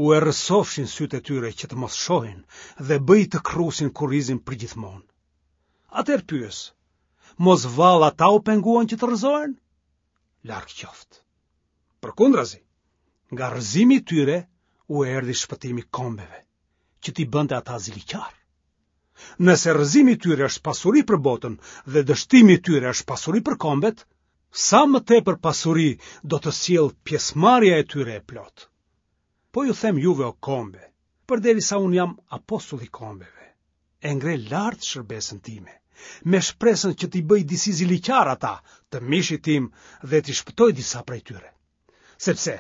U errësofshin sytë e tyre që të mos shohin dhe bëj të kërrusin kurrizin përgjithmonë. Atëherë pyes, mos vallë ata u penguan që të rrëzohen? Larg qoftë. Përkundrazi, nga rrëzimi i tyre u erdhi shpëtimi kombeve, që t'i bënte ata ziliqar. Nëse rrëzimi i tyre është pasuri për botën dhe dështimi i tyre është pasuri për kombet, sa më tepër pasuri do të sjellë pjesëmarrja e tyre e plotë. Po ju them juve o kombe, përderisa unë jam apostull i kombeve, e ngre lart shërbesën time, me shpresën që t'i bëj disi ziliqar ata të mishit tim dhe t'i shpëtoj disa prej tyre. Sepse,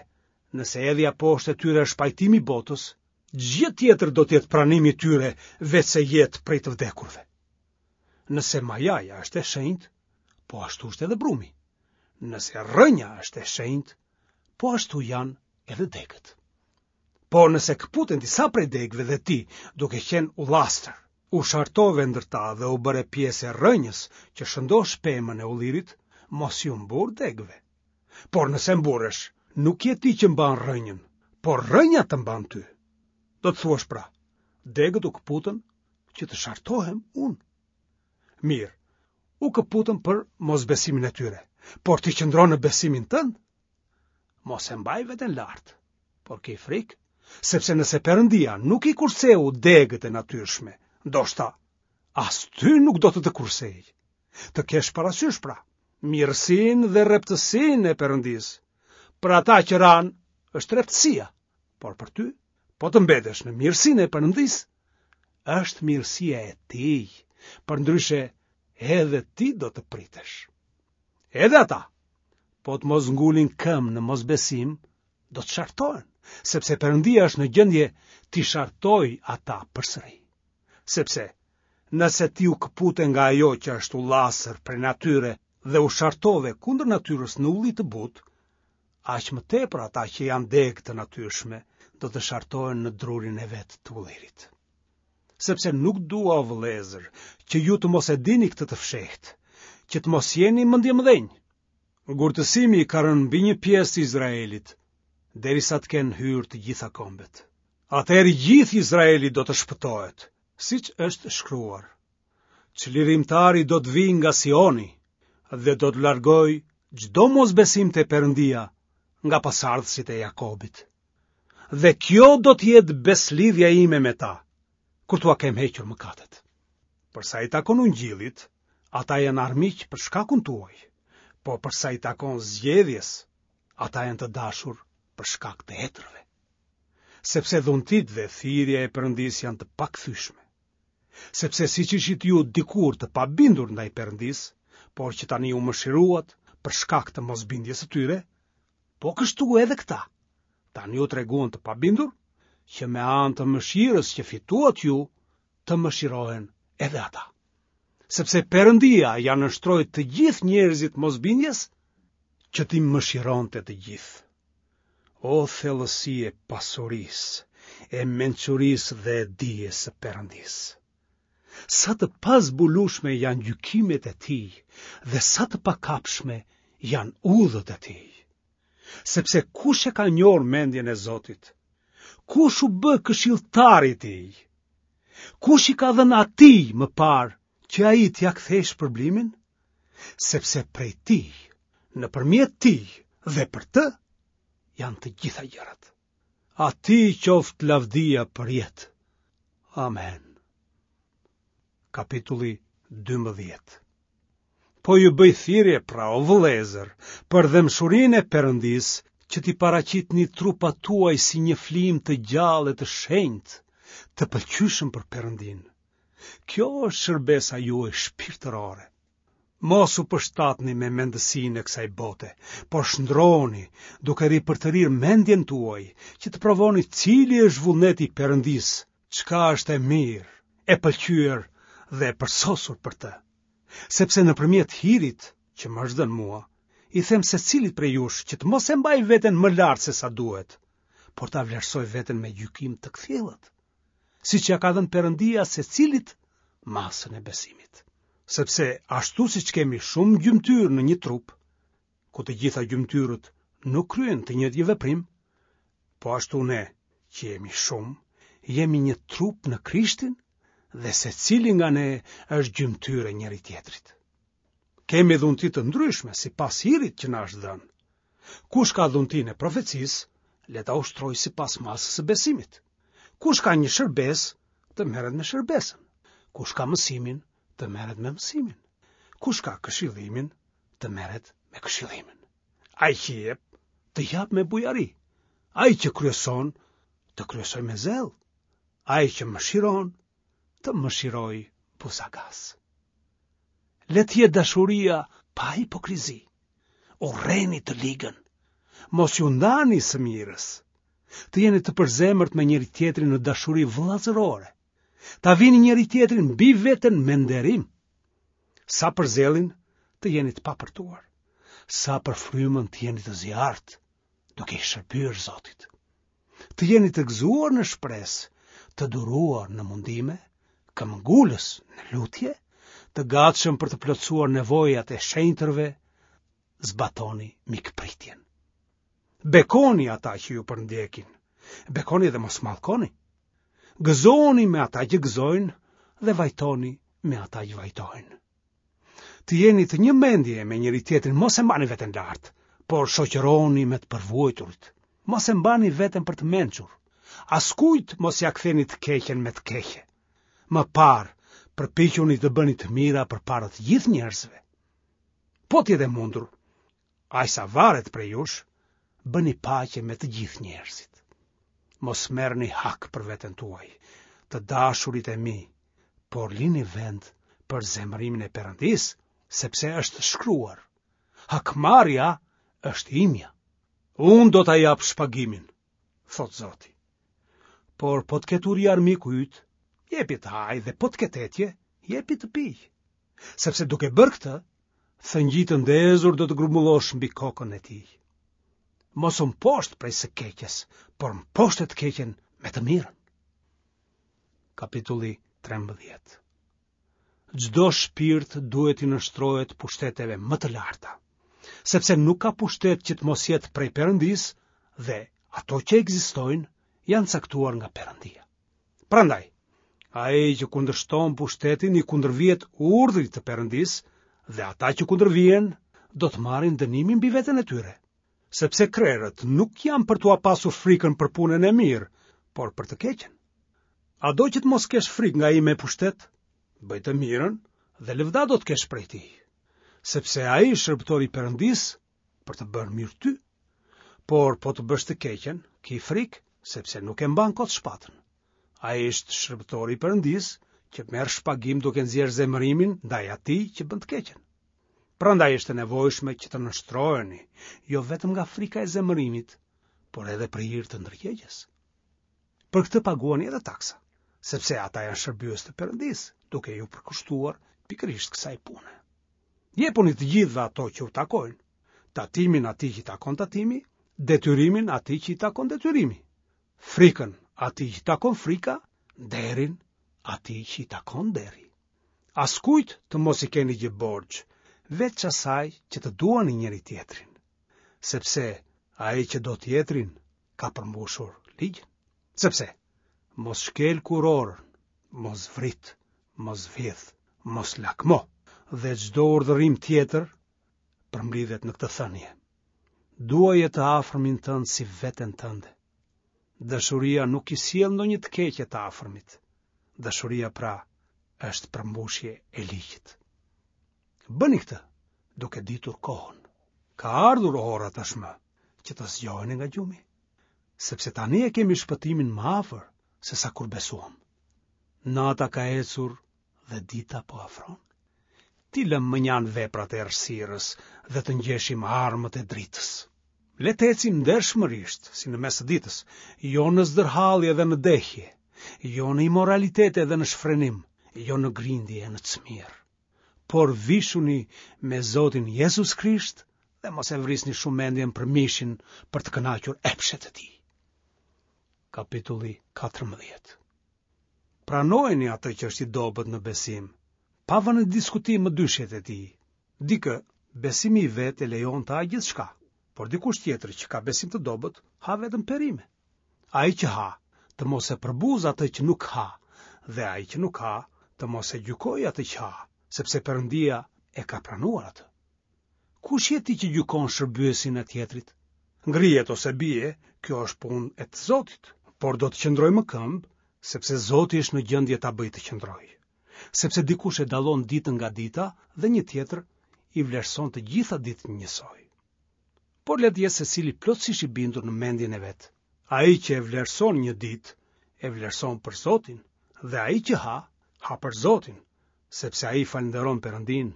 nëse hedhja poshtë e tyre është pajtimi i botës, ç'gjë tjetër do të jetë pranimi i tyre veçse jetë prej të vdekurve. Nëse majaja është e shenjtë, po ashtu është edhe brumi. Nëse rrënja është e shenjtë, po ashtu janë edhe degët. Por nëse këputen disa prej degëve dhe ti, duke qenë ullastër, u shartove ndër ta dhe u bëre pjesë e rrënjës që shëndosh pemën e ullirit, mos iu mburr degëve. Por nëse mburresh, nuk je ti që mban rrënjën, por rrënja të mban ty. Do të thuash pra, degët u këputën që të shartohem unë. Mirë, u këputën për mosbesimin e tyre, por ti qëndron në besimin tënd. Mos e mbaj veten lart, por ki frikë, sepse nëse Perëndia nuk i kurseu degët e natyrshme, ndoshta as ty nuk do të të kursejë. Të kesh parasysh pra, mirësinë dhe rreptësinë e Perëndisë. Për ata që ranë është rreptësia, por për ty, po të mbetesh në mirësinë e Perëndisë, është mirësia e tij, përndryshe edhe ti do të pritesh. Edhe ata, po të mos ngulin këmbë në mosbesim, do të shartohen, sepse Perëndia është në gjendje t'i shartojë ata përsëri. Sepse, nëse ti u këpute nga ajo që është ullastër prej natyre dhe u shartove kundër natyrës në ulli të butë, aq më tepër ata që janë degë të natyrshme do të shartohen në drurin e vet të ullirit. Sepse nuk dua, o vëllezër, që ju të mos e dini këtë të fshehtë, që të mos jeni mendjemëdhenj. Ngurtësimi ka rënë mbi një pjesë të Izraelit, derisa të kenë hyrë të gjitha kombet. Atëherë i gjithë Izraeli do të shpëtohet, siç është shkruar. Çlirimtari do të vijë nga Sioni dhe do të largojë çdo mosbesim te Perëndia nga pasardhësit e Jakobit. Dhe kjo do të jetë beslidhja ime me ta, kur t'ua kem hequr mëkatet. Për sa i takon ungjillit, ata janë armiq për shkakun tuaj, po për sa i takon zgjedhjes, ata janë të dashur për shkak të etërve. Sepse dhuntitë dhe thirrja e Perëndisë janë të pakthyeshme. Sepse siç ishit ju dikur të pabindur ndaj Perëndisë, por që tani u mëshiruat për shkak të mosbindjes së tyre, po kështu edhe këta, tani u treguan të pabindur, që me anë të mëshirës që fituat ju, të mëshirohen edhe ata. Sepse Perëndia ia nënshtroi të gjithë njerëzit mosbindjes, që t'i mëshironte të gjithë. O thellësi e pasurisë, e mençurisë dhe e dijes së Perëndisë. Sa të pazbulueshme janë gjykimet e tij dhe sa të pakapshme janë udhët e tij. Sepse kush e ka njohur mendjen e Zotit? Kush u bë këshilltari i tij? Kush i ka dhënë atij më parë që ai t'ia kthejë shpërblimin? Sepse prej tij, nëpërmjet tij dhe për të janë të gjitha gjërat. Atij qoftë lavdia për jetë. Amen. Kapitulli dymbëdhjetë. Po ju bëj thirrje pra, o vëllezër, për dhembshurinë e Perëndisë, që t'i paraqitni trupat tuaj si një flijim të gjallë e të shenjtë, të pëlqyeshëm për Perëndinë. Kjo është shërbesa juaj shpirtërore. Mos u përshtatni me mendësinë e kësaj bote, por shndroni duke ripërtërirë mendjen tuaj, që të provoni cili është vullneti i Perëndisë, çka është e mirë, e pëlqyer dhe e përsosur për të. Sepse nëpërmjet hirit që më është dhënë mua, i them secilit prej jush që të mos e mbajë veten më lart se sa duhet, por ta vlerësojë veten me gjykim të kthjellët, siç ia ka dhënë Perëndia secilit masën e besimit. Sepse ashtu siç kemi shumë gjymtyrë në një trup, ku të gjitha gjymtyrët nuk kryejnë të njëjtin veprim, po ashtu ne, që jemi shumë, jemi një trup në Krishtin dhe secili nga ne është gjymtyrë e njëri-tjetrit. Kemi dhunti të ndryshme sipas hirit që na është dhënë. Kush ka dhuntinë e profecisë, le ta ushtrojë sipas masës së besimit. Kush ka një shërbesë, të merret me shërbesën. Kush ka mësimin, të merret me mësimin. Kush ka këshillimin, të merret me këshillimin. Ai që jep, të japë me bujari. Ai që kryeson, të kryesojë me zell. Ai që mëshiron, të mëshirojë buzagaz. Le të jetë dashuria pa hipokrizi. Urreni të ligën. Mos iu ndani së mirës. Të jeni të përzemërt me njëri-tjetrin në dashuri vëllazërore. Ta vini njëri-tjetrin mbi veten me nderim. Sa për zellin, të jeni të papërtuar. Sa për frymën të jeni të zjarrtë, duke i shërbyer Zotit. Të jeni të gëzuar në shpresë, të duruar në mundime, këmbëngulës në lutje, të gatshëm për të plotësuar nevojat e shenjtërve, zbatoni mikpritjen. Bekoni ata që ju përndjekin, bekoni dhe mos mallkoni. Gëzohuni me ata që gëzojnë dhe vajtoni me ata që vajtojnë. Të jeni të një mendje me njëri-tjetrin, mos e mbani veten lart, por shoqërohuni me të përvuajturit. Mos e mbani veten për të mençur. Askujt mos ia ktheni të keqen me të keqe. Më parë, përpiquni të bëni të mira përpara të gjithë njerëzve. Po të jetë e mundur, aq sa varet prej jush, bëni paqe me të gjithë njerëzit. Mos merrni hak për veten tuaj, të dashurit e mi, por lini vend për zemërimin e Perëndisë, sepse është shkruar: Hakmarrja është imja. Unë do ta jap shpagimin, thotë Zoti. Por po të ketë uri armiku yt, jepi të hajë dhe po të ketë etje, jepi të pijë. Sepse duke bërë këtë, thëngjij të ndezur do të grumbullosh mbi kokën e tij. Mos u mposht prej së keqes, por mposhte të keqen me të mirën. Kapitulli trembëdhjetë. Çdo shpirt duhet t'i nënshtrohet pushteteve më të larta, sepse nuk ka pushtet që të mos jetë prej Perëndisë dhe ato që ekzistojnë janë caktuar nga Perëndia. Prandaj, ai që kundërshton pushtetin i kundërvihet urdhrit të Perëndisë dhe ata që kundërvihen do të marrin dënimin mbi veten e tyre. Sepse krerët nuk janë për t'ua pasur frikën për punën e mirë, por për të keqen. A do që të mos kesh frikë nga ai me pushtet? Bëj të mirën dhe lëvda do të kesh prej tij, sepse ai është shërbëtori i Perëndisë për të bërë mirë ty. Por po të bësh të keqen, ki frikë, sepse nuk e mban kot shpatën. Ai është shërbëtori i Perëndisë që merr shpagim duke nxjerrë zemërimin ndaj atij që bën të keqen. Prandaj është e nevojshme që të nënshtroheni, jo vetëm nga frika e zemërimit, por edhe për hir të ndërgjegjes. Për këtë paguani edhe taksa, sepse ata janë shërbyes të Perëndisë, duke ju përkushtuar pikërisht kësaj pune. Jepuni të gjithëve ato që u takojnë, tatimin atij që i takon tatimi, detyrimin atij që i takon detyrimi, frikën atij që i takon frika, nderin atij që i takon nderi. Askujt të mos i keni gjë borxh, veç asaj që të duani njëri tjetrin, sepse ai që do tjetrin ka përmbushur ligjin. Sepse mos shkel kurorën, mos vrit, mos vjedh, mos lakmo, dhe çdo urdhërim tjetër përmblidhet në këtë thënie. Duaje të afërmin tënd si veten tënde. Dashuria nuk i sjell ndonjë të keqe të afërmit. Dashuria pra është përmbushje e ligjit. Bëni këtë duke ditur kohën. Ka ardhur ora tashmë që të zgjoheni nga gjumi, sepse tani e kemi shpëtimin më afër se sa kur besuam. Nata ka ecur dhe dita po afron. T'i lëmë mënjanë veprat e errësirës dhe të ngjeshim armët e dritës. Le të ecim ndershmërisht, si në mes të ditës, jo në zdërhallje dhe në dehje, jo në imoralitete dhe në shfrenim, jo në grindje e në cmirë. Por vishuni me Zotin Jezus Krisht dhe mos e vrisni shumë mendjen për mishin për të kënaqur epshet e tij. Kapitulli katërmbëdhjetë. Pranojeni atë që është i dobët në besim, pa vënë në diskutim mëdyshjet e tij. Dikë, besimi i vet e lejon të hajë gjithçka, por dikush tjetër që ka besim të dobët, ha vetëm perime. Ai që ha, të mos e përbuzë atë që nuk ha, dhe ai që nuk ha, të mos e gjykojë atë që ha, sepse Perëndia e ka pranuar atë. Kush je ti që gjykon shërbyesin e tjetrit? Ngrihet ose bie, kjo është punë e të Zotit, por do të qëndrojë më këmbë, sepse Zoti është në gjendje ta bëjë të qëndrojë. Sepse dikush e dallon ditën nga dita dhe një tjetër i vlerëson të gjitha ditët njësoj. Por le të jetë secili plotësisht i bindur në mendjen e vet. Ai që e vlerëson një ditë, e vlerëson për Zotin, dhe ai që ha, ha për Zotin, sepse ai falënderon Perëndin.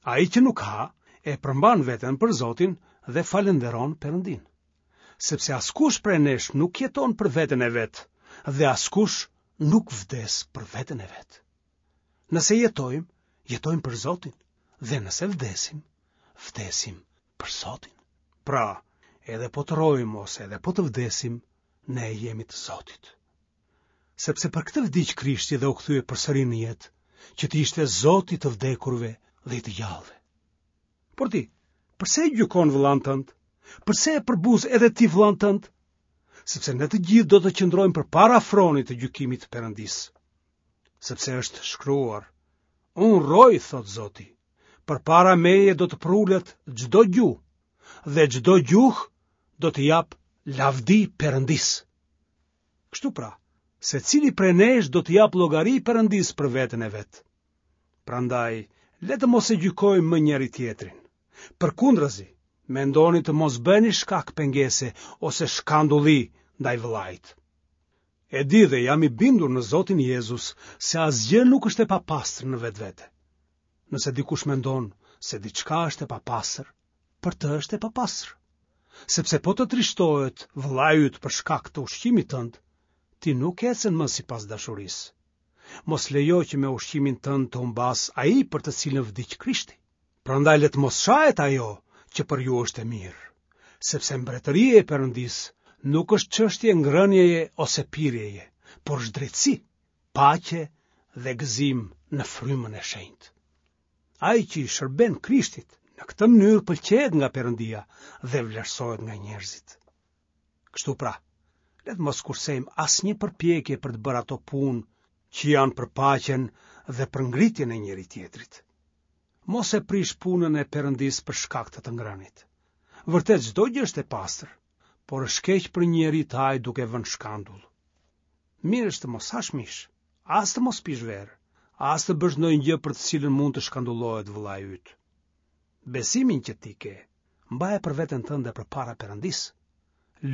Ai që nuk ha, e përmban veten për Zotin dhe falënderon Perëndin. Sepse askush prej nesh nuk jeton për veten e vet, dhe askush nuk vdes për veten e vet. Nëse jetojmë, jetojmë për Zotin, Dhe nëse vdesim, vdesim për Zotin. Pra, edhe po të rrojmë ose edhe po të vdesim, ne jemi të Zotit. Sepse për këtë vdiq Krishti dhe u kthye përsëri në jetë, që të ishte Zot i të vdekurve dhe i të gjallëve. Por ti, përse e gjykon vëllanë tënd? Përse e përbuz edhe ti vëllanë tënd? Sepse ne të gjithë do të qëndrojmë përpara fronit të gjykimit të Perëndisë. Sepse është shkruar, unë rroj, thotë Zoti, përpara meje do të përulet çdo gjuhë, dhe çdo gjuhë do t'i japë lavdi Perëndisë. Kështu pra, secili prej nesh do t'i japë llogari Perëndisë për veten e vet. Prandaj, le të mos e gjykojmë më njëri-tjetrin. Përkundrazi, mendoni të mos bëni shkak pengese ose shkandulli ndaj vëllait. E di dhe jam i bindur në Zotin Jezus se asgjë nuk është e papastër në vetvete. Nëse dikush mendon se diçka është e papastër, për të është e papastër. Sepse po të trishtohet vëllai yt për shkak të ushqimit tënd, ti nuk ecën më sipas dashurisë. Mos lejo që me ushqimin tënd të humbasë ai për të cilin vdiq Krishti. Prandaj le të mos shahet ajo që për ju është e mirë, sepse mbretëria e Perëndisë nuk është çështje ngrënieje ose pirjeje, por është drejtësi, paqe dhe gëzim në frymën e shenjtë. Ai që i shërben Krishtit në këtë mënyrë pëlqehet nga Perëndia dhe vlerësohet nga njerëzit. Kështu pra, le të mos kursejmë asnjë përpjekje për të bërë ato punë që janë për paqen dhe për ngritjen e njëri-tjetrit. Mos e prish punën e Perëndisë për shkak të të ngrënit. Vërtet çdo gjë është e pastër, por është keq për një njeri të hajë duke vënë shkandull. Mirë është të mos hash mish, as të mos pish verë, as të bësh ndonjë gjë për të cilën mund të shkandullohet vëllai yt. Besimin që ti ke, mbaje për veten tënde përpara Perëndisë.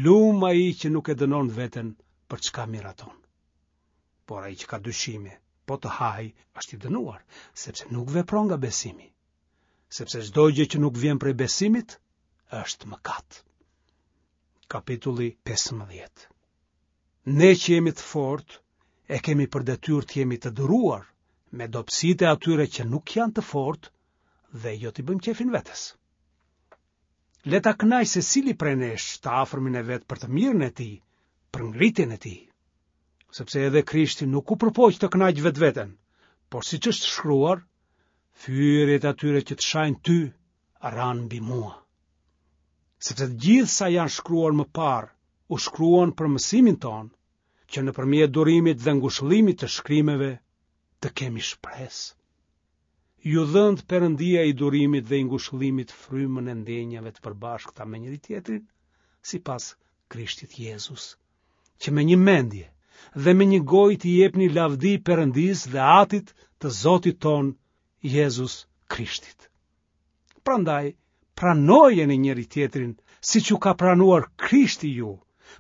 Lum ai që nuk e dënon veten për çka miraton. Por ai që ka dyshime, po të hajë, është i dënuar, sepse nuk vepron nga besimi. Sepse çdo gjë që nuk vjen prej besimit është mëkat. Kapitulli pesëmbëdhjetë. Ne që jemi të fortë, e kemi për detyrë të jemi të duruar me dobësitë e atyre që nuk janë të fortë dhe jo t'i bëjmë qejfin vetes. Le ta kënaqë secili prej nesh të afërmin e vet për të mirën e tij, për ngritjen e tij. Sepse edhe Krishti nuk u përpoq të kënaqë vetveten, por siç është shkruar, fyerjet e atyre që të shajnë ty ranë mbi mua. Sepse të gjithë sa janë shkruar më parë, u shkruan për mësimin tonë, që nëpërmjet durimit dhe ngushëllimit të shkrimeve të kemi shpresë. Ju dhëntë Perëndia i durimit dhe i ngushëllimit frymën e ndjenjave të përbashkëta me njëri-tjetrin, sipas Krishtit Jezus, që me një mendje dhe me një gojë t'i jepni lavdi Perëndisë dhe Atit të Zotit tonë Jezus Krishtit. Prandaj, pranojeni njëri-tjetrin siç ju ka pranuar Krishti ju,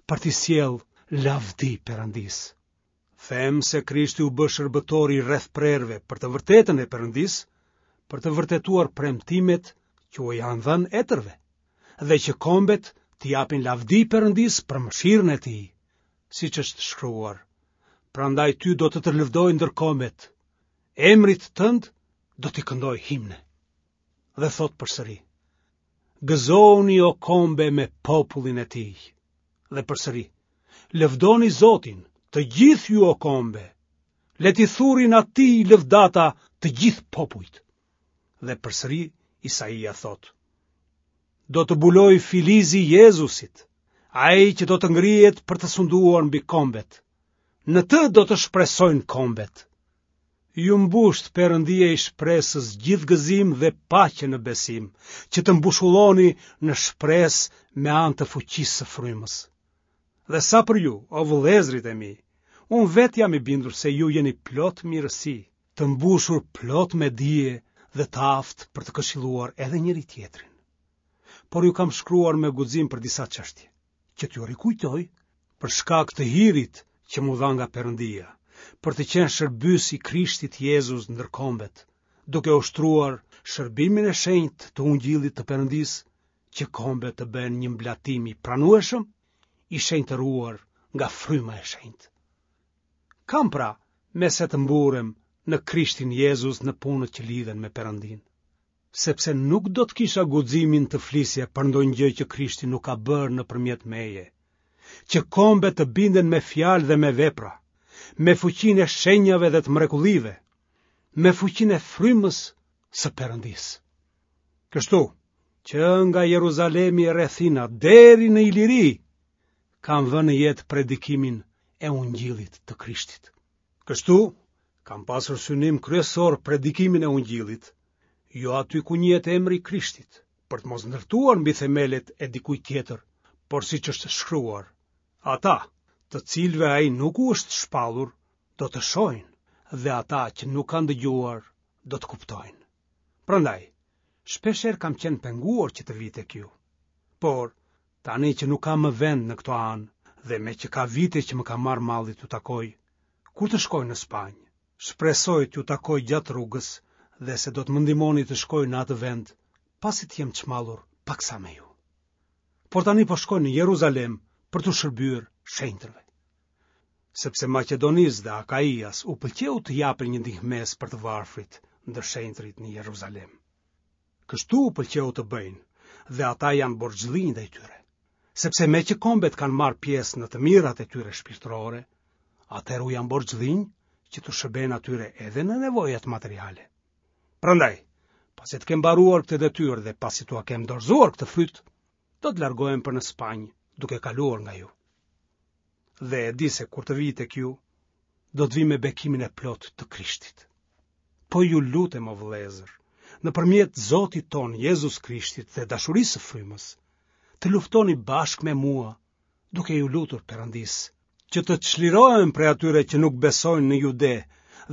për t'i sjellë lavdi Perëndisë. Them se Krishti u bë shërbëtor i rrethprerëve për të vërtetën e Perëndisë, për të vërtetuar premtimet që u janë dhënë etërve, dhe që kombet t'i japin lavdi Perëndisë për mëshirën e tij, siç është shkruar. Prandaj ty do të të lëvdoj ndër kombet, emrit tënd do t'i këndoj himne. Dhe thotë përsëri, gëzohuni o kombe me popullin e tij. Dhe përsëri, lëvdoni Zotin, të gjithë ju o kombe, le t'i thurin atij lëvdata të gjithë popujt. Dhe përsëri Isaia thotë, do të bulojë filizi i Jezusit, ai që do të ngrihet për të sunduar mbi kombet. Në të do të shpresojnë kombet. Ju mbushtë Perëndia i shpresës gjithë gëzim dhe paqe në besim, që të mbushulloni në shpresë me anë të fuqisë së frymës. Dhe sa për ju, o vëllezërit e mi, unë vetë jam i bindur se ju jeni plot mirësi, të mbushur plot me dije dhe të aftë për të këshilluar edhe njëri-tjetrin. Por ju kam shkruar me guxim për disa çështje, që t'ju rikujtoj për shkak të hirit që m'u dha nga Perëndia, për të qenë shërbyes i Krishtit Jezus ndër kombet, duke ushtruar shërbimin e shenjtë të ungjillit të Perëndisë, që kombet të bëhen një mblatim i pranueshëm, i shenjtëruar nga fryma e shenjtë. Kam pra, me se të mburrem në Krishtin Jezus në punët që lidhen me Perëndinë. Sepse nuk do të kisha guximin të flisja për ndonjë gjë që Krishti nuk ka bërë nëpërmjet meje, që kombet të binden me fjalë dhe me vepra, me fuqinë e shenjave dhe të mrekullive, me fuqinë e frymës së Perëndisë. Kështu, që nga Jeruzalemi e rrethina deri në Iliri, kam vënë në jetë predikimin e Ungjillit të Krishtit. Kështu, kam pasur synim kryesor predikimin e Ungjillit, jo aty ku njihet emri i Krishtit, për të mos ndërtuar mbi themelet e dikujt tjetër, por siç është shkruar, ata, të cilëve ai nuk u është shpallur, do të shohin, dhe ata që nuk kanë dëgjuar, do të kuptojnë. Prandaj, shpeshherë kam qenë penguar që të vij tek ju. Por, tani që nuk kam më vend në këto anë, dhe meqë ka vite që më ka marrë malli t'ju takoj, kur të shkoj në Spanjë, shpresoj t'ju takoj gjatë rrugës dhe se do të më ndihmoni të shkoj në atë vend, pasi të jem çmallur paksa me ju. Por tani po shkoj në Jeruzalem për t'u shërbyer shenjtërve. Sepse Maqedonisë dhe Akaias u pëlqeu të japin një ndihmesë për të varfrit ndër shenjtërit në Jeruzalem. Kështu u pëlqeu të bëjnë dhe ata janë borxhlinj ndaj tyre. Sepse meqë kombet kanë marrë pjesë në të mirat e tyre shpirtërore, atëherë u janë borxhlinj që t'u shërbejnë atyre edhe në nevojat materiale. Prandaj, pasi të kem mbaruar këtë detyrë dhe pasi t'ua kem dorëzuar këtë fryt, do të largohem për në Spanjë, duke kaluar nga ju. Dhe e di se kur të vij tek ju, do të vij me bekimin e plotë të Krishtit. Po ju lutem, o vëllezër, nëpërmjet Zotit tonë Jezus Krishtit dhe dashurisë së frymës, të luftoni bashkë me mua, duke iu lutur Perëndisë, që të çlirohem prej atyre që nuk besojnë në Jude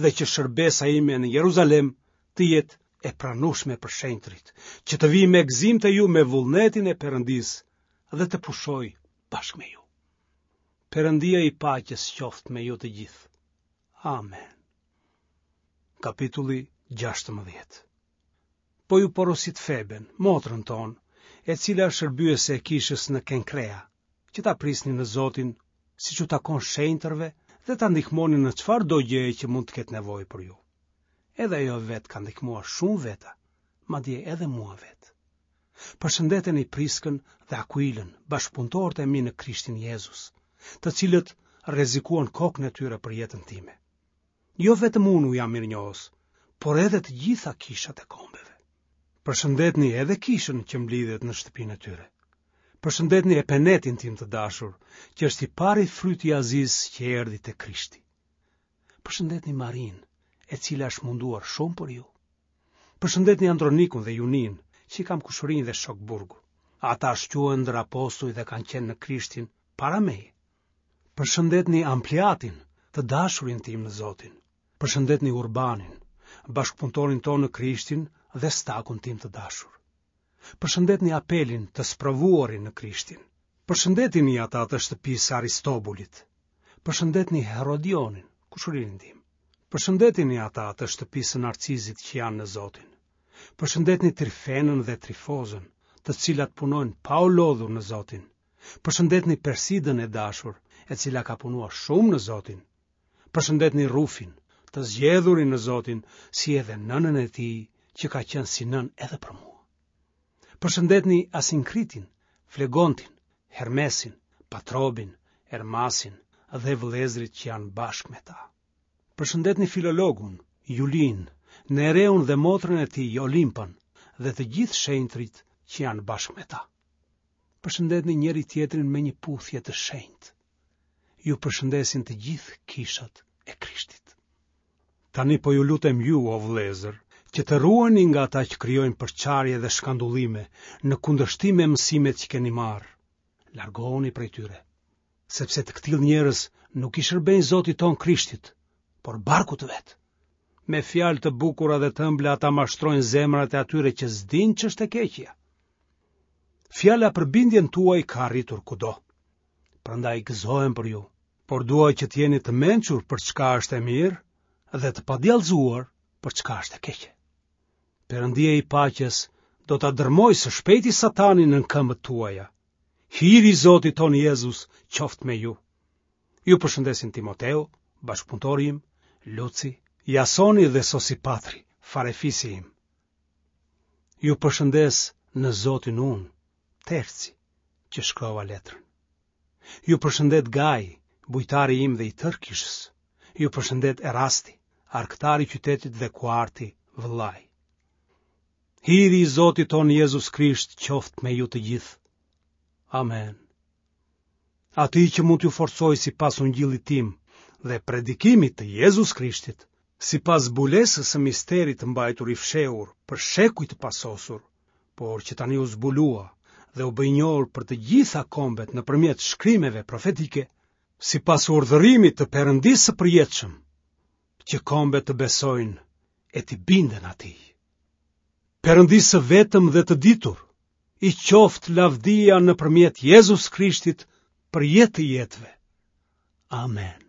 dhe që shërbesa ime në Jeruzalem të jetë e pranueshme për shenjtërit, që të vij me gëzim te ju me vullnetin e Perëndisë dhe të pushoj bashkë me ju. Perëndia i paqes qoftë me ju të gjithë. Amen. Kapitulli gjashtëmbëdhjetë. Po ju porosit Feben, motrën tonë, e cila është shërbyese e kishës në Kenkrea, që ta prisni në Zotin, siç u takon shenjtërve dhe ta ndihmoni në çfarëdo gjëje që mund të ketë nevojë për ju. Edhe ajo vetë ka ndihmuar shumë veta, madje edhe mua vetë. Përshëndeteni Priskën dhe Akuilën, bashkëpunëtorët e mi në Krishtin Jezus, të cilët rrezikuan kokën e tyre për jetën time. Jo vetëm unë u jam mirënjohës, por edhe të gjitha kishat e kombeve. Përshëndetni edhe kishën që mblidhet në shtëpinë e tyre. Përshëndetni Epenetin tim të dashur, që është i pari fryt i Azisë që erdhi te Krishti. Përshëndetni Marinë, e cila është munduar shumë për ju. Përshëndetni Andronikun dhe Juninë, që i kam kushërinj dhe shokë burgu. Ata shquhen ndër apostuj dhe kanë qenë në Krishtin para meje. Përshëndetni Ampliatin, të dashurin tim në Zotin. Përshëndetni Urbanin, bashkëpunëtorin tonë në Krishtin dhe Stakun tim të dashur. Përshëndetni Apelin, të sprovuarin në Krishtin. Përshëndetini ata të shtëpisë së Aristobulit. Përshëndetni Herodionin, kushëririn tim. Përshëndetini ata të shtëpisë së Narcizit që janë në Zotin. Përshëndetni Trifenën dhe Trifozën, të cilat punojnë pa u lodhur në Zotin. Përshëndetni Persidën e dashur, e cila ka punuar shumë në Zotin. Përshëndetni Rufin, të zgjedhurin në Zotin, si edhe nënën e tij, që ka qenë si nënë edhe për mua. Përshëndetni Asinkritin, Flegontin, Hermesin, Patrobin, Ermasin dhe vëllezërit që janë bashkë me ta. Përshëndetni Filologun, Julin, Nereun dhe motrën e tij Olimpën dhe të gjithë shenjtërit që janë bashkë me ta. Përshëndetni njëri tjetrin me një puthje të shenjtë. Ju përshëndesin të gjithë kishat e Krishtit. Tani po ju lutem ju, o vëllezër, që të ruheni nga ata që krijojnë përçarje dhe shkandullime në kundërshtim me mësimet që keni marrë. Largohuni prej tyre, sepse të këtillë njerëz nuk i shërbejnë Zotit tonë Krishtit, por barkut të vet. Me fjalë të bukura dhe të ëmbla ata mashtrojnë zemrat e atyre që s'dinë ç'është e keqja. Fjala për bindjen tuaj ka arritur kudo. Prandaj gëzohem për ju, por dua që të jeni të mençur për çka është e mirë dhe të padjallëzuar për çka është e keqe. Perëndia i paqes do ta dërmojë së shpejti Satanin nën këmbët tuaja. Hiri i Zotit tonë Jezus qoftë me ju. Ju përshëndesin Timoteu, bashkëpunëtori im, Luci, Jasoni dhe Sosipatri, farefisi im. Ju përshëndes në Zotin unë, Terci, që shkrova letrën. Ju përshëndet Gaj, bujtari im dhe i tërë kishës. Ju përshëndet Erasti, arkëtari i qytetit dhe Kuarti, vëllai. Hiri i Zotit tonë Jezus Krisht qoftë me ju të gjithë. Amen. Atij që mund t'ju forcojë sipas ungjillit tim dhe predikimit të Jezus Krishtit, sipas zbulesës së misterit të mbajtur i fshehur për shekuj të pasosur, por që tani u zbulua dhe u bë i njohur për të gjitha kombet nëpërmjet shkrimeve profetike, sipas urdhërimit të Perëndisë së përjetshëm, që kombet të besojnë e t'i binden atij. Perëndisë së vetëm dhe të ditur, i qoftë lavdia nëpërmjet Jezus Krishtit për jetë të jetëve. Amen.